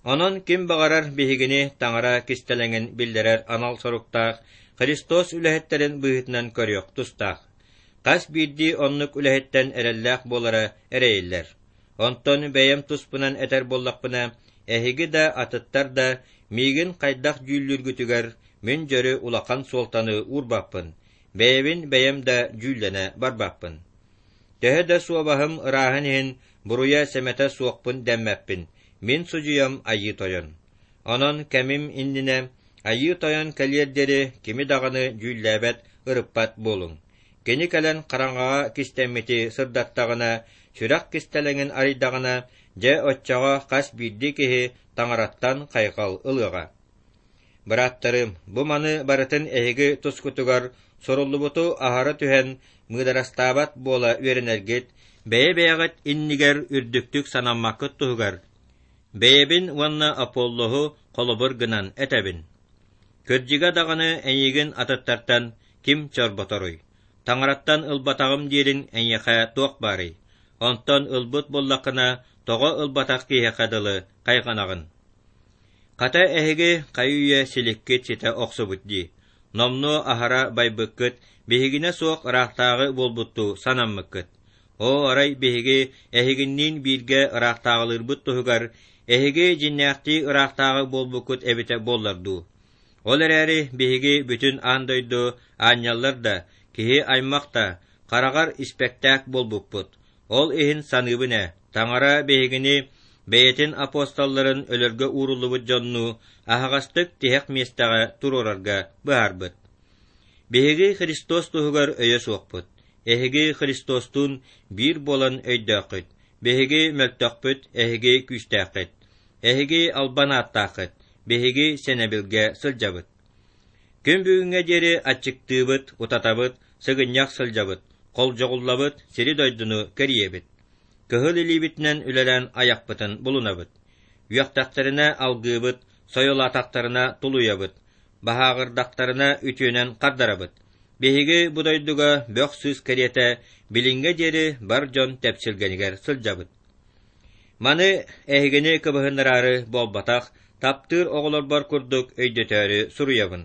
Онон ким баҕарар биһигини Таҥара кистэлэҥин биллэрэр анал соруктаах Христос үлэһиттэрин быһыытынан көрүөх тустаах. Хас биирдии оннук үлэһиттэн эрэллээх буолара эрэйиллэр. Онтон бэйэм туспунан этэр буоллахпына, эһиги да, атыттар да миигин хайдах дьүүллүүргүтүгэр мин дьөрү улахан суолтаны уурбаппын, бэйэбин бэйэм да дьүүллэнэ барбаппын. Төһө да суобаһым ырааһын иһин буруйа-сэмэтэ суохпун дэммэппин, мин судьуйам Айыы Тойон. Онон кэмим иннинэ Айыы Тойон кэлиэр диэри кими даҕаны дьүүллээбэт, ырыппат буолуҥ. Кини кэлэн хараҥаҕа кистэммити сырдаттаҕына, сүрэх кистэлэҥин арыйдаҕына, дьэ оччоҕо хас биирдии киһи Таҥараттан хайҕал ылыаҕа. Бырааттарым, бу маны барытын эһиги тускутугар суруллубуту аһара түһэн мыыдарастаабат буола үөрэнэргит, бэйэ-бэйэҕит иннигэр үрдүктүк санаммаккыт туһугар, бэйэбин уонна Аполлоһу холобур гынан этэбин. Кырдьыга даҕаны эйигин атыттартан ким чорботоруй? Таҥараттан ылбатаҕым диирин эйиэхэ туох баарый? Онтон ылбыт буоллаххына, тоҕо ылбатах киһиэхэ дылы хайҕанаҕын? Хата эһиги хайы-үйэ силиккит ситэ охсубут дии, номнуо аһара байбыккыт, биһигинэ суох ыраахтааҕы буолбуттуу санаммыккыт. Оо, арай биһиги эһигинниин бииргэ ыраахтааҕылыырбыт туһугар эһиги дьиҥнээхтии ыраахтааҕы буолбуккут эбитэ буоллар дуу? Ол эрээри биһиги бүтүн аан дойду аанньаллар да, киһи аймах да хараҕар испэктээк буолбуппут. Ол иһин саныыбын ээ, Таҥара биһигини бэйэтин апостолларын өлөргө ууруллубут дьоннуу аһаҕастык тиһэх миэстэҕэ туруорарга быһаарбыт. Биһиги Христос туһугар өйө суохпут, эһиги Христостуун биир буолан өйдөөххүт, биһиги мөлтөхпүт, эһиги күүстээххит. Эһиги албан ааттааххыт, биһиги сэнэбилгэ сылдьабыт. Күн бүгүҥҥэ диэри аччыктыыбыт, утатабыт, сыгынньах сылдьабыт, холдьоҕуллабыт, сири-дойдуну кэрийэбит. Кыһыл илиибитинэн үлэлээн айахпытын булунабыт. Үөхтэхтэринэ алгыыбыт, сойулаатахтарына тулуйабыт, баһааҕырдахтарына үтүөнэн хардарабыт. Биһиги бу дойдуга бөх-сыыс кэриэтэ билиҥҥэ диэри бар дьон тэпсилгэнигэр сылдьабыт. Маны эһигини кыбыһыннараары буолбатах, таптыыр оҕолорбор курдук өйдөтөөрү суруйабын.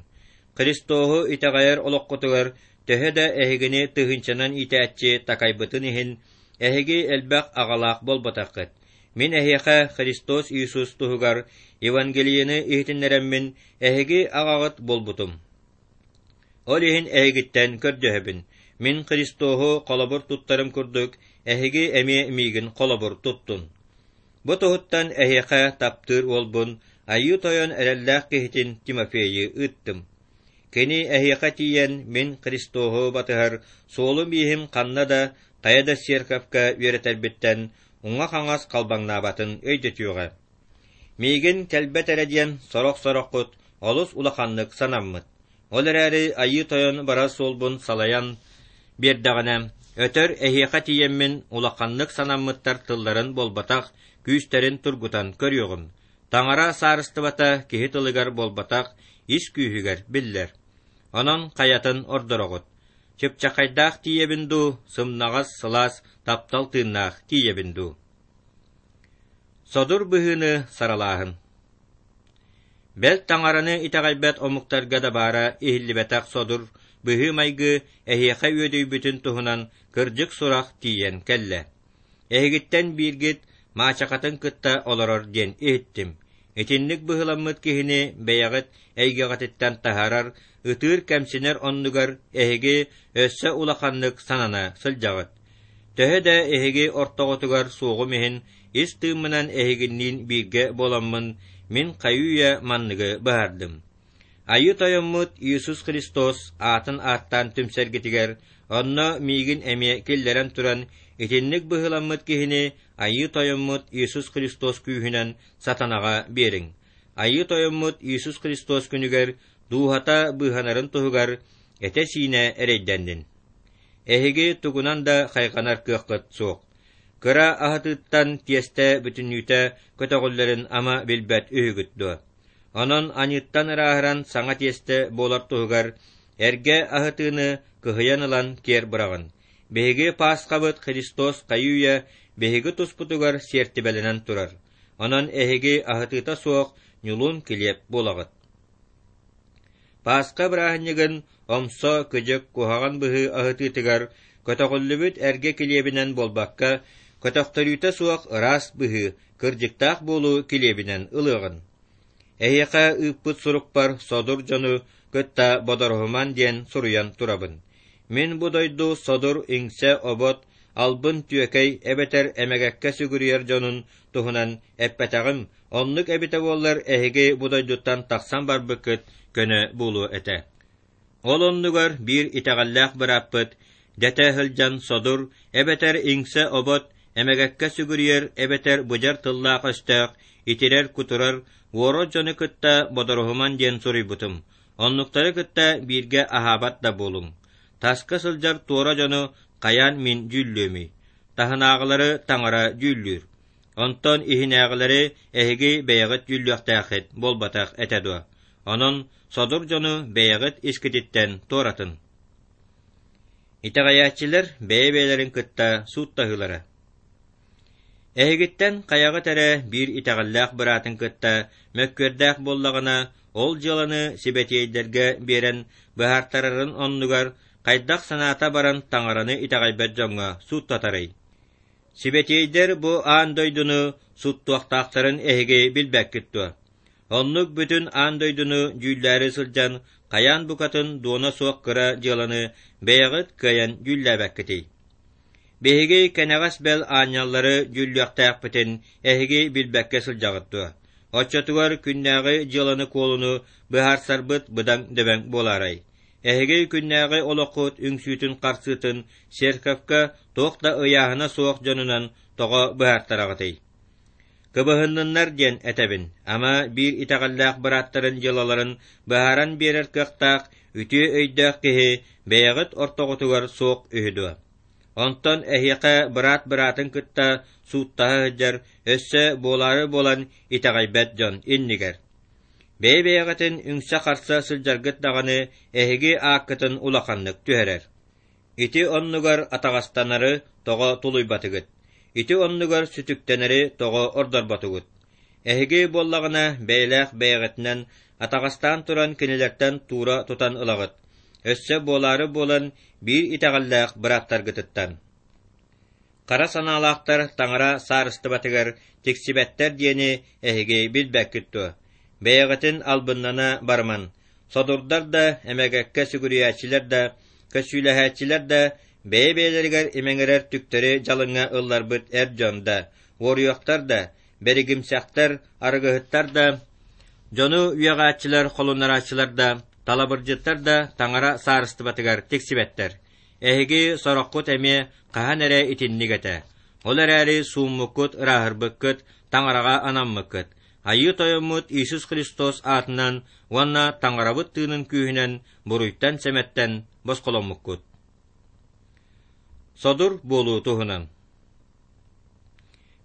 Христоһу итэҕэйэр олоххутугар төһө да эһигини тыһыынчанан иитээччи такайбытын иһин, эһиги элбэх аҕалаах буолбатаххыт. Мин эһиэхэ Христос Иисус туһугар Евангелиены иһитиннэрэммин, эһиги аҕаҕыт буолбутум. Ол иһин эһигиттэн көрдөһөбүн, мин Христоһу холобур туттарым курдук, эһиги эмиэ миигин холобур туттун. Бу туһуттан эһиэхэ таптыыр уолбун, Айыы Тойон эрэллээх киһитин Тимофейы ыыттым. Кини эһиэхэ тиийэн, мин Христоһу батыһар суолум-ииһим ханна да, хайа да церковка үөрэтэрбиттэн уҥа-хаҥас халбаҥнаабатын өйдөтүөҕэ. Миигин кэлбэт эрэ диэн сорох-сороххут олус улаханнык санаммыт. Ол эрээри Айыы Тойон барар суолбун салайан биэрдэҕинэ, өтөр эһиэхэ тиийэммин улаханнык санаммыттар тылларын буолбатах, күүстэрин тургутан көрүөҕүм. Таҥара саарыстыбата киһи тылыгар буолбатах, ис күүһүгэр биллэр. Онон хайатын ордороҕут? Чыпчахайдаах тиийэбин дуу, сымнаҕас, сылаас, таптал тыыннаах тиийэбин дуу? Содур быһыыны саралааһын. Бэл таҥараны итэҕэйбэт омуктарга да баара иһиллибэтэх содур быһыы-майгы эһиэхэ үөдүйбүтүн туһунан кырдьык сурах тиийэн кэллэ. Эһигиттэн бииргит маачахатын кытта олорор диэн иһиттим. Итинник быһыламмыт киһини бэйэҕит эйгэҕититтэн таһаарар, ытыыр-кэмсинэр оннугар эһиги өссө улаханнык санана сылдьаҕыт. Төһө да эһиги ортоҕутугар суоҕум иһин, ис тыыммынан эһигинниин бииргэ буоламмын, мин хайыы-үйэ манныгы быһаардым. Айыы Тойоммут Иисус Христос аатын ааттаан түмсэргитигэр, онно миигин эмиэ киллэрэн туран, итинник быһыыламмыт киһини Айыы Тойоммут Иисус Христос күүһүнэн сатанаҕа биэриҥ. Айыы Тойоммут Иисус Христос күнүгэр дууһата быыһанарын туһугар этэ-сиинэ эрэйдэннин. Эһиги тугунан да хайҕанар кыаххыт суох. Кыра аһатыыттан тиэстэ бүтүннүүтэ көтөҕүллэрин ама билбэт үһүгүт дуо? Онон аньыыттан ырааһыран саҥа тиэстэ буолар туһугар эргэ аһытыыны кыһыйан ылан киэр быраҕын. Биһиги Паасхабыт Христос хайыы-үйэ биһиги туспутугар сиэртибэлэнэн турар. Онон эһиги аһытыыта суох ньулуун килиэп буолаҕыт. Паасха бырааһынньыгын омсо, кыдьык, куһаҕан быһыы аһытыытыгар көтөҕүллүбүт эргэ килиэбинэн буолбакка, көтөхтөрүүтэ суох ыраас быһыы, кырдьыктаах буолуу килиэбинэн ылыаҕын. Эһиэхэ ыыппыт сурукпар содур дьону кытта бодоруһуман диэн суруйан турабын. Мин бу дойду содур иҥсэ-обот, албын түөкэй эбэтэр эмэгэккэ сүгүрүйэр дьонун туһунан эппэтэҕим, оннук эбитэ буоллар эһиги бу дойдуттан тахсан барбыккыт көнө буолуо этэ. Ол оннугар биир итэҕэллээх бырааппыт дэтэ сылдьан содур эбэтэр иҥсэ-обот, эмэгэккэ сүгүрүйэр эбэтэр быдьар тыллаах-өстөөх, итирэр-кутурар, уорар дьону кытта бодоруһуман диэн суруйбутум. Оннуктары кытта бииргэ аһаабат да буолуҥ. Таска сылдьар туора дьону хайаан мин дьүүллүөмүй? Таһынааҕылары таҥара дьүүллүүр. Онтон иһинээҕилэри эһиги бэйэҕит дьүүллүөхтээххит буолбатах этэ дуо? Онон содур дьону бэйэҕит искититтэн туоратын. Итэҕэйээччилэр бэйэ-бэйэлэрин кытта сууттаһыылара. Эһигиттэн хайаҕыт эрэ биир итэҕэллээх быраатын кытта мөккүөрдээх буоллаҕына, ол дьыаланы сибэтиэйдэргэ биэрэн быһаартарарын оннугар хайдах санаата баран таҥараны итэҕэйбэт дьоҥҥо сууттатарый? Сибэтиэйдэр бу аан дойдуну сууттуохтаахтарын эһиги билбэккит дуо? Оннук бүтүн аан дойдуну дьүүллээри сылдьан хайаан букатын дуона суох кыра дьыаланы бэйэҕит кыайан дьүүллээбэккитий? Биһиги кэнэҕэс бэл аанньаллары дьүүллүөхтээхпитин эһиги билбэккэ сылдьаҕыт дуо? Оччотугар күннээҕи дьыаланы-куолуну быһаарсарбыт быдаҥ дөбөҥ буолаарай? Эһиги күннээҕи олоххут үҥсүүтүн-харсыытын церковка туох да ыйааһына суох дьонунан тоҕо быһаартараҕытый? Кыбыһынныннар диэн этэбин, ама биир итэҕэллээх бырааттарын дьыалаларын быһааран биэрэр кыахтаах үтүө өйдөөх киһи бэйэҕит ортоҕутугар суох үһү дуо? Онтон эһиэхэ быраат быраатын кытта сууттаһа сылдьар, өссө буолаары буолан итэҕэйбэт дьон иннигэр. Бэйэ-бэйэҕитин үҥсэ-харса сылдьаргыт даҕаны эһиги ааккытын улаханнык түһэрэр. Ити оннугар атаҕастанары тоҕо тулуйбатыгыт? Ити оннугар сүтүктэнэри тоҕо ордорботугут? Эһиги буоллаҕына бэйэлээх бэйэҕитинэн атаҕастаан туран кинилэртэн туура тутан ылаҕыт, өссө буолаары буолан биир итэҕэллээх бырааттаргытыттан. Хара санаалаахтар таҥара саарыстыбатыгар тиксибэттэр диэни эһиги билбэккит дуо? Бэйэҕитин албыннана барыман, содурдар да, эмэгэккэ сүгүрүйээччилэр да, көссүүлэһээччилэр да, бэйэ-бэйэлэригэр имэҥирэр түктэри дьалыҥҥа ылларбыт эр дьон да, уоруйахтар да, бэригимсэхтэр, арыгыһыттар да, дьону үөҕээччилэр, холуннарааччылар да, талабырдьыттар да таҥара саарыстыбатыгар тиксибэттэр. Эһиги сороххут эмиэ хаһан эрэ итинник этэ. Ол эрээри сууммуккут, ырааһырбыккыт, таҥараҕа анаммыккыт. Айыы Тойоммут Иисус Христос аатынан уонна Таҥарабыт тыынын күүһүнэн буруйтан-сэмэттэн босхоломмуккут. Содур буолуу туһунан.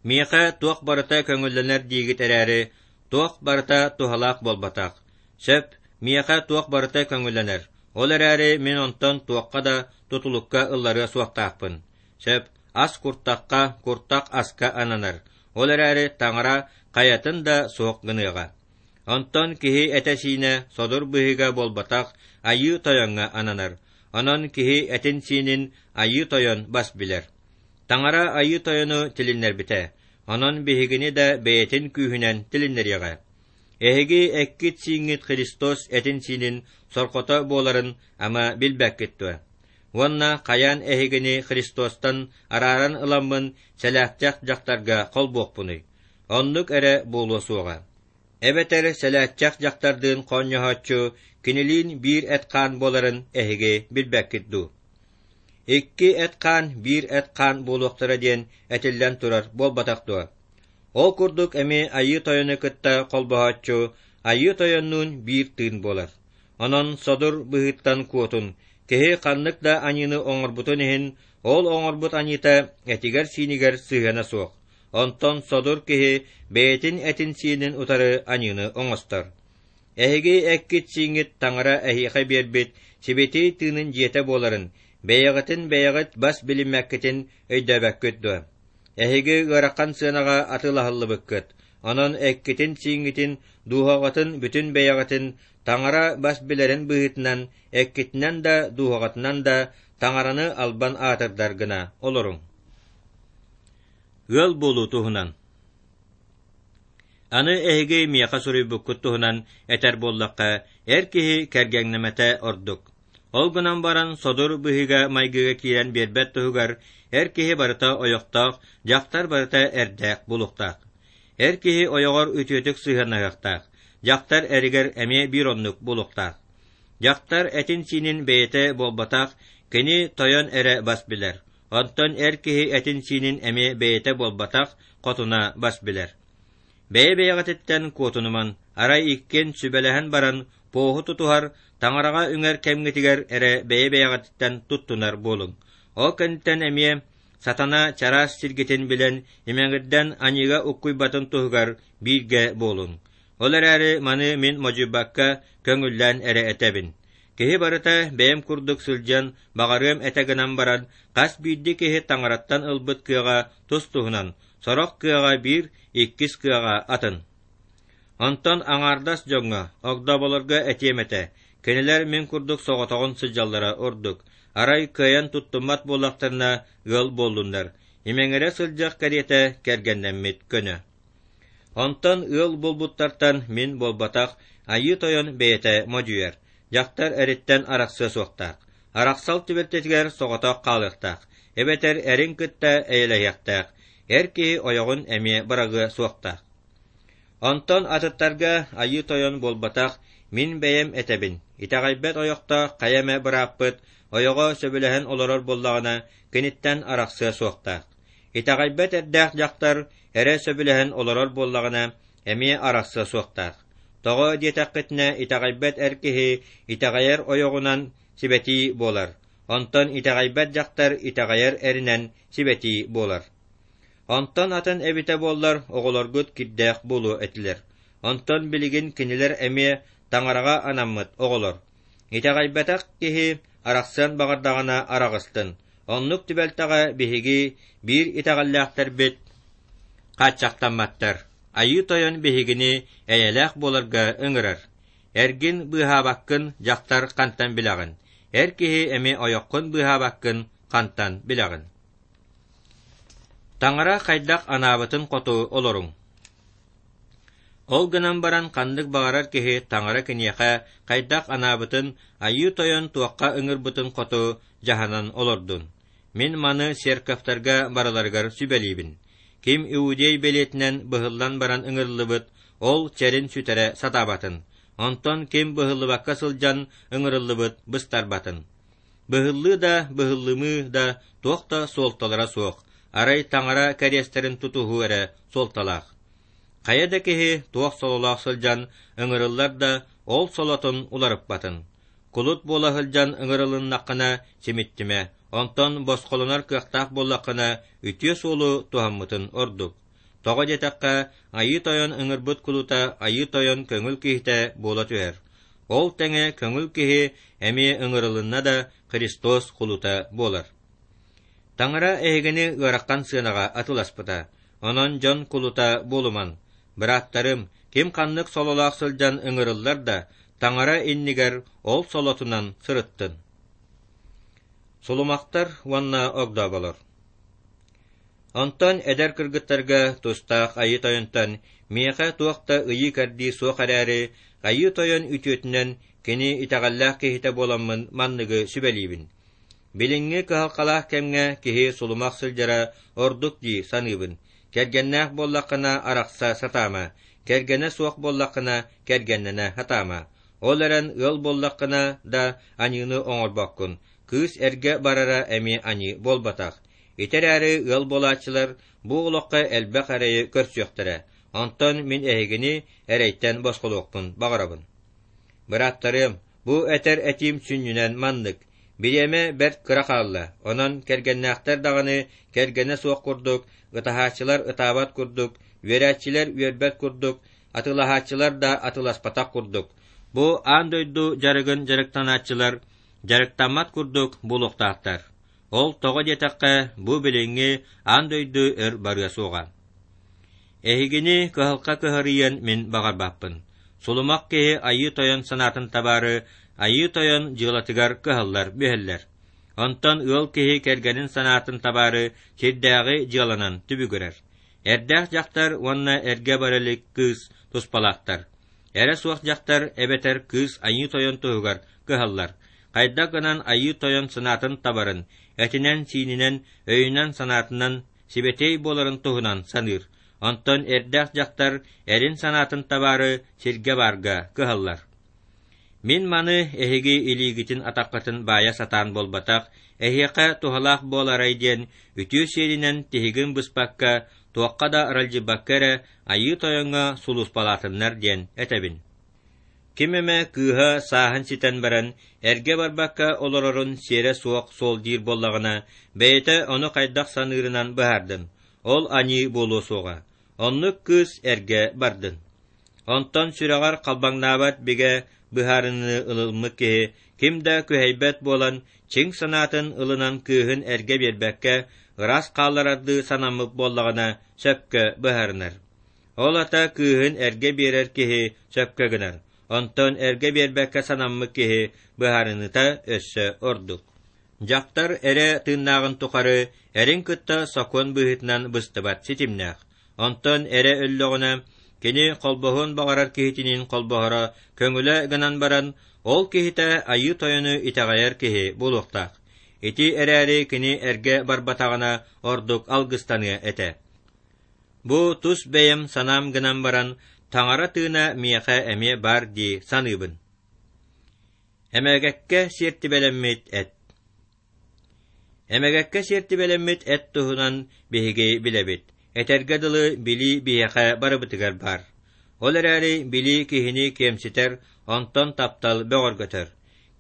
Миэхэ туох барыта көҥүллэнэр диигит эрээри, туох барыта туһалаах буолбатах. Сөп, миэхэ туох барыта көҥүллэнэр, ол эрээри мин онтон туохха да тутулукка ылларыа суохтаахпын. Сөп, ас куртахха, куртах аска ананар, ол эрээри таҥара хайатын да суох гыныаҕа. Онтон киһи этэ-сиинэ содур быһыыга буолбатах Айыы Тойоҥҥо ананар, онон киһи этин-сиинин Айыы Тойон бас билэр. Таҥара Айыы Тойону тилиннэрбитэ, онон биһигини да бэйэтин күүһүнэн тилиннэриэҕэ. Эһиги эккит-сииҥҥит Христос этин-сиинин сорҕото буоларын ама билбэккит дуо? Уонна хайаан эһигини Христостан арааран ыламмын сэлээхтэх дьахтарга холбуохпунуй? Оннук эрэ буолуо суоҕа. Эбэтэр сэлээччэх дьахтардыын хоонньоһооччу кинилиин биир эт-хаан буоларын эһиги билбэккит дуу? Икки эт-хаан биир эт-хаан буолуохтара диэн этиллэн турар буолбатах дуо? Ол курдук эмиэ Айыы Тойону кытта холбоһооччу Айыы Тойоннуун биир тыын буолар. Онон содур быһыыттан куотун, киһи ханнык да аньыыны оҥорбутун иһин, ол оҥорбут аньыыта этигэр-сиинигэр сыһыана суох. Онтон содур киһи бэйэтин этин-сиинин утары аньыыны оҥостор. Эһиги эккит-сииҥҥит Таҥара эһиэхэ биэрбит Сибэтиэй Тыынын дьиэтэ буоларын, бэйэҕитин бэйэҕит бас билиммэккитин өйдөөбөккүт дуо? Эһиги ыарахан сыанаҕа атыылаһыллыбыккыт, онон эккитин-сииҥҥитин, дууһаҕытын бүтүн бэйэҕитин Таҥара бас билэрин быһыытынан эккитинэн да, дууһаҕытынан да Таҥараны албан аатырдар гына олоруҥ. Ыал буолуу туһунан. Аны эһиги миэхэ суруйбуккут туһунан этэр буоллахха, эр киһи кэргэҥнэмэтэ ордук. Ол гынан баран содур быһыыга-майгыга киирэн биэрбэт туһугар эр киһи барыта ойохтоох, дьахтар барыта эрдээх буолуохтаах. Эр киһи ойоҕор үтүөтүк сыһыаннаһыахтаах, дьахтар эригэр эмиэ биир оннук буолуохтаах. Дьахтар этин-сиинин бэйэтэ буолбатах, кини тойон эрэ бас билэр. Онтон эр киһи этин-сиинин эмиэ бэйэтэ буолбатах, хотуна бас билэр. Бэйэ-бэйэҕититтэн куотунуман, арай иккиэн сүбэлэһэн баран поһу тутуһар, Таҥараҕа үҥэр кэмҥитигэр эрэ бэйэ-бэйэҕититтэн туттунар буолуҥ. Ол кэнниттэн эмиэ сатана чараас сиргитин билэн, имэҥирдэн аньыыга уккуйбатын туһугар бииргэ буолуҥ. Ол эрээри маны мин модьуйбакка көҥүллээн эрэ этэбин. Киһи барыта бэйэм курдук сылдьан баҕарыам этэ гынан баран, хас биирдии киһи Таҥараттан ылбыт кыаҕа тус-туһунан, сорох кыаҕа биир, иккис кыаҕа атын. Онтон аҥаардас дьоҥҥо, огдооболорго этиэм этэ, кинилэр мин курдук соҕотоҕун сылдьаллара ордук, арай кыайан туттуммат буоллахтарына ыал буоллуннар, имэҥирэ сылдьыах кэриэтэ кэргэннэммит көнө. Онтон ыал буолбуттартан мин буолбатах, Айыы Тойон бэйэтэ модьуйар, дьахтар эриттэн арахсыа суохтаах, арахсал түбэлтэтигэр соҕотох хаалыахтаах, эбэтэр эрин кытта эйэлэһиэхтээх, эр киһи ойоҕун эмиэ быраҕыа суохтаах. Онтон атыттарга Айыы Тойон буолбатах, мин бэйэм этэбин, итэҕэйбэт ойохтоох хайа эмэ бырааппыт ойоҕо сөбүлэһэн олорор буоллаҕына, киниттэн арахсыа суохтаах. Итэҕэйбэт эрдээх дьахтар эрэ сөбүлэһэн олорор буоллаҕына, эмиэ арахсыа суохтаах. Тоҕо диэтэххитинэ, итэҕэйбэт эр киһи итэҕэйэр ойоҕунан сибэтии буолар, онтон итэҕэйбэт дьахтар итэҕэйэр эринэн сибэтии буолар. Онтон атын эбитэ буоллар, оҕолоргут кирдээх буолуо этилэр. Онтон билигин кинилэр эмиэ Таҥараҕа анаммыт оҕолор. Итэҕэйбэтэх киһи арахсыан баҕардаҕына араҕыстын. Оннук түбэлтэҕэ биһиги биир итэҕэллээхтэрбит хааччахтамматтар. Айыы Тойон биһигини эйэлээх буоларга ыҥырар. Эргин быыһаабаккын дьахтар хантан билэҕин? Эр киһи эмиэ ойоххун быыһаабаккын хантан билэҕин? Таҥара хайдах анаабытын хоту олоруҥ. Ол гынан баран ханнык баҕарар киһи Таҥара киниэхэ хайдах анаабытын, Айыы Тойон туохха ыҥырбытын хоту дьаһанан олордун. Мин маны церковтарга барыларыгар сүбэлиибин. Ким иудей бэлиэтинэн быһыллан баран ыҥырыллыбыт, ол чэрин сүтэрэ сатаабатын. Онтон ким быһыллыбакка сылдьан ыҥырыллыбыт быстарбатын. Быһыллыы да, быһыллымыы да туох да суолталара суох, арай Таҥара кэриэстэрин тутуһуу эрэ суолталаах. Хайа да киһи туох сололоох сылдьан ыҥырыллар да, ол солотун уларыппатын. Кулут буола сылдьан ыҥырылыннаххына симиттимэ, онтон босхолонор кыахтаах буоллаххына үтүө суолу туһаммытын ордук. Тоҕо диэтэххэ, Айыы Тойон ыҥырбыт кулута Айыы Тойон көҥүл киһитэ буола түһэр. Ол тэҥэ көҥүл киһи эмиэ ыҥырылынна да Христос кулута буолар. Таҥара эһигини ыарахан сыанаҕа атыыласпыта, онон дьон кулута буолуман. Бырааттарым, ким ханнык сололоох сылдьан ыҥырыллар да, Таҥара иннигэр ол солотунан сырыттын. Сулумахтар уонна огдооболор. Онтон эдэр кыргыттарга тустаах Айыы Тойонтон миэхэ туох да ыйыы-кэрдии суох эрээри, Айыы Тойон үтүөтүнэн кини итэҕэллээх киһитэ буоламмын манныгы сүбэлиибин. Билиҥҥи кыһалҕалаах кэмҥэ киһи сулумах сылдьара ордук дии саныыбын. Кэргэннээх буоллаххына арахса сатаама, кэргэнэ суох буоллаххына кэргэннэнэ сатаама. Ол эрэн ыал буоллаххына да аньыыны оҥорбоккун, кыыс эргэ барара эмиэ аньыы буолбатах. Ити эрээри ыал буолааччылар бу олоххо элбэх эрэйи көрсүөхтэрэ, онтон мин эһигини эрэйтэн босхолуохпун баҕарабын. Бырааттарыам, Бу этэр этиим сүнньүнэн маннык: бириэмэ бэрт кыра хаалла, онон кэргэннээхтэр даҕаны кэргэнэ суох курдук, ытаһааччылар ытаабат курдук, үөрээччилэр үөрбэт курдук, атыылаһааччылар да атыыласпатах курдук, бу аан дойду дьарыгын дьарыктанааччылар дьарыктаммат курдук буолуохтаахтар. Ол тоҕо диэтэххэ, бу билиҥҥи аан дойду өр барыа суоҕа. Эһигини кыһалҕа кыһарыйыан мин баҕарбаппын. Сулумах киһи Айыы Тойон санаатын табаары, Айыы Тойон дьыалатыгар кыһаллар-мүһэллэр. Онтон ыал киһи кэргэнин санаатын табаары сирдээҕи дьыаланан түбүгүрэр. Эрдээх дьахтар уонна эргэ бара илик кыыс туспалаахтар. Эрэ суох дьахтар эбэтэр кыыс Айыы Тойон туһугар кыһаллар. Хайдах гынан Айыы Тойон санаатын табарын, этинэн-сиининэн, өйүнэн-санаатынан сибэтиэй буоларын туһунан саныыр. Онтон эрдээх дьахтар эрин санаатын табаары сиргэ-баарга кыһаллар. Мин маны эһиги илиигитин атаххытын баайа сатаан буолбатах, эһиэхэ туһалаах буоларай диэн үтүө сиэринэн тиһигин быспакка, туохха да аралдьыйбакка эрэ Айыы Тойоҥҥо сулууспалаатыннар диэн этэбин. Ким эмэ кыыһа сааһын ситэн баран, эргэ барбакка олорорун сиэрэ суох суол диир буоллаҕына, бэйэтэ ону хайдах саныырынан быһаардын, ол аньыы буолуо суоҕа. Оннук кыыс эргэ бардын. Онтон сүрэҕэр халбаҥнаабат бигэ быһаарыныыны ылыммыт киһи ким да күһэйбэт буолан, чиҥ санаатын ылынан кыыһын эргэ биэрбэккэ, ыраас хаалларардыы санаммыт буоллаҕына, сөпкө быһаарынар. Ол ата кыыһын эргэ биэрэр киһи сөпкө гынар, онтон эргэ биэрбэккэ санаммыт киһи быһаарыныыта өссө ордук. Дьахтар эрэ тыыннааҕын тухары эрин кытта сокуон быһыытынан быстыбат ситимнээх. Онтон эрэ өллөҕүнэ, кини холбоһуон баҕарар киһитиниин холбоһоро көҥүлэ гынан баран, ол киһитэ Айыы Тойону итэҕэйэр киһи буолуохтаах. Ити эрээри кини эргэ барбатаҕына ордук алгыстаныа этэ. Бу тус бэйэм санаам гынан баран, Таҥара тыына миэхэ эмиэ баар дии саныыбын. Эмэгэккэ сиэртибэлэммит эт. Эмэгэккэ сиэртибэлэммит эт туһунан биһиги билэбит. Этэргэ дылы билии биһиэхэ барыбытыгар баар. Ол эрээри билии киһини киэмситэр, онтон таптал бөҕөргөтөр.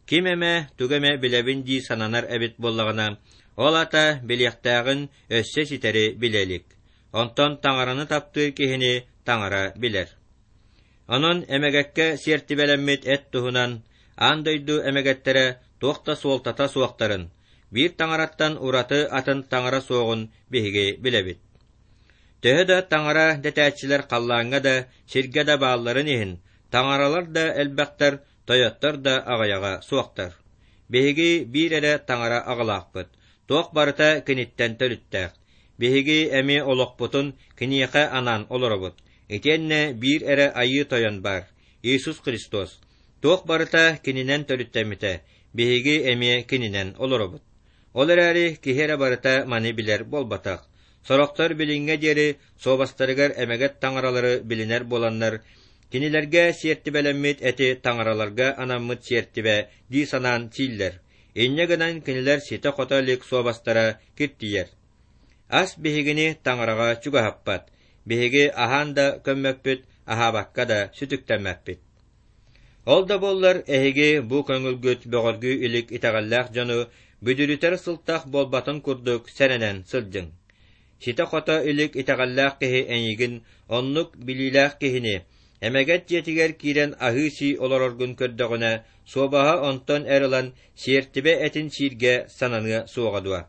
Ким эмэ тугу эмэ билэбин дии сананар эбит буоллаҕына, ол аата билиэхтээҕин өссө ситэри билэ илик. Онтон Таҥараны таптыыр киһини Таҥара билэр. Онон эмэгэккэ сиэртибэлэммит эт туһунан аан дойду эмэгэттэрэ туох да суолтата суохтарын, биир таҥараттан ураты атын таҥара суоҕун биһиги билэбит. Төһө да таҥара дэтээччилэр халлааҥҥа да, сиргэ да баалларын иһин, таҥаралар да элбэхтэр, тойоттор да аҕыйаҕа суохтар. Биһиги биир эрэ таҥара аҕалаахпыт, туох барыта киниттэн төрүттээх. Биһиги эмиэ олохпутун киниэхэ анаан олоробут. Итиэннэ биир эрэ Айыы Тойон баар, Иисус Христос. Туох барыта кининэн төрүттэммитэ, биһиги эмиэ кининэн олоробут. Ол эрээри киһи эрэ барыта маны билэр буолбатах. Сорохтор билиҥҥэ диэри суобастарыгар эмэгэт таҥаралары билинэр буоланнар, кинилэргэ сиэртибэлэммит эти таҥараларга анаммыт сиэртибэ дии санаан сииллэр. Инньэ гынан кинилэр ситэ-хото илик суобастара киртийэр. Ас биһигини таҥараҕа чугаһаппат, биһиги аһаан да көммөппүт, аһаабакка да сүтүктэммэппит. Ол да буоллар эһиги бу көҥүлгүт бөҕөргүү илик итэҕэллээх дьону бүдүрүтэр сылтах буолбатын курдук сэрэнэн сылдьыҥ. Ситэ-хото илик итэҕэллээх киһи эйигин, оннук билиилээх киһини, эмэгэт дьиэтигэр киирэн аһыы-сии олороргун көрдөҕүнэ, суобаһа онтон эр ылан сиэртибэ этин сииргэ сананыа суоҕа дуо?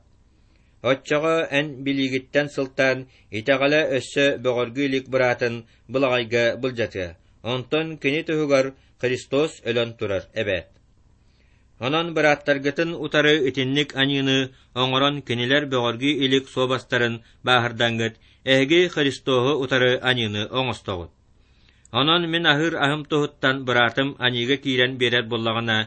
Оччоҕо эн билиигиттэн сылтаан итэҕэлэ өссө бөҕөргүү илик быраатын былаҕайга былдьатыа, онтон кини туһугар Христос өлөн турар эбээт. Онон бырааттаргытын утары итинник аньыыны оҥорон кинилэр бөҕөргүү илик суобастарын бааһырдаҥҥыт, эһиги Христоһу утары аньыыны оҥостоҕут. Онон мин аһыыр аһым туһуттан быраатым аньыыга киирэн биэрэр буоллаҕына,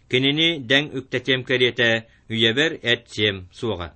кинини дэҥ үктэтиэм кэриэтэ үйэбэр эт сиэм суоҕа.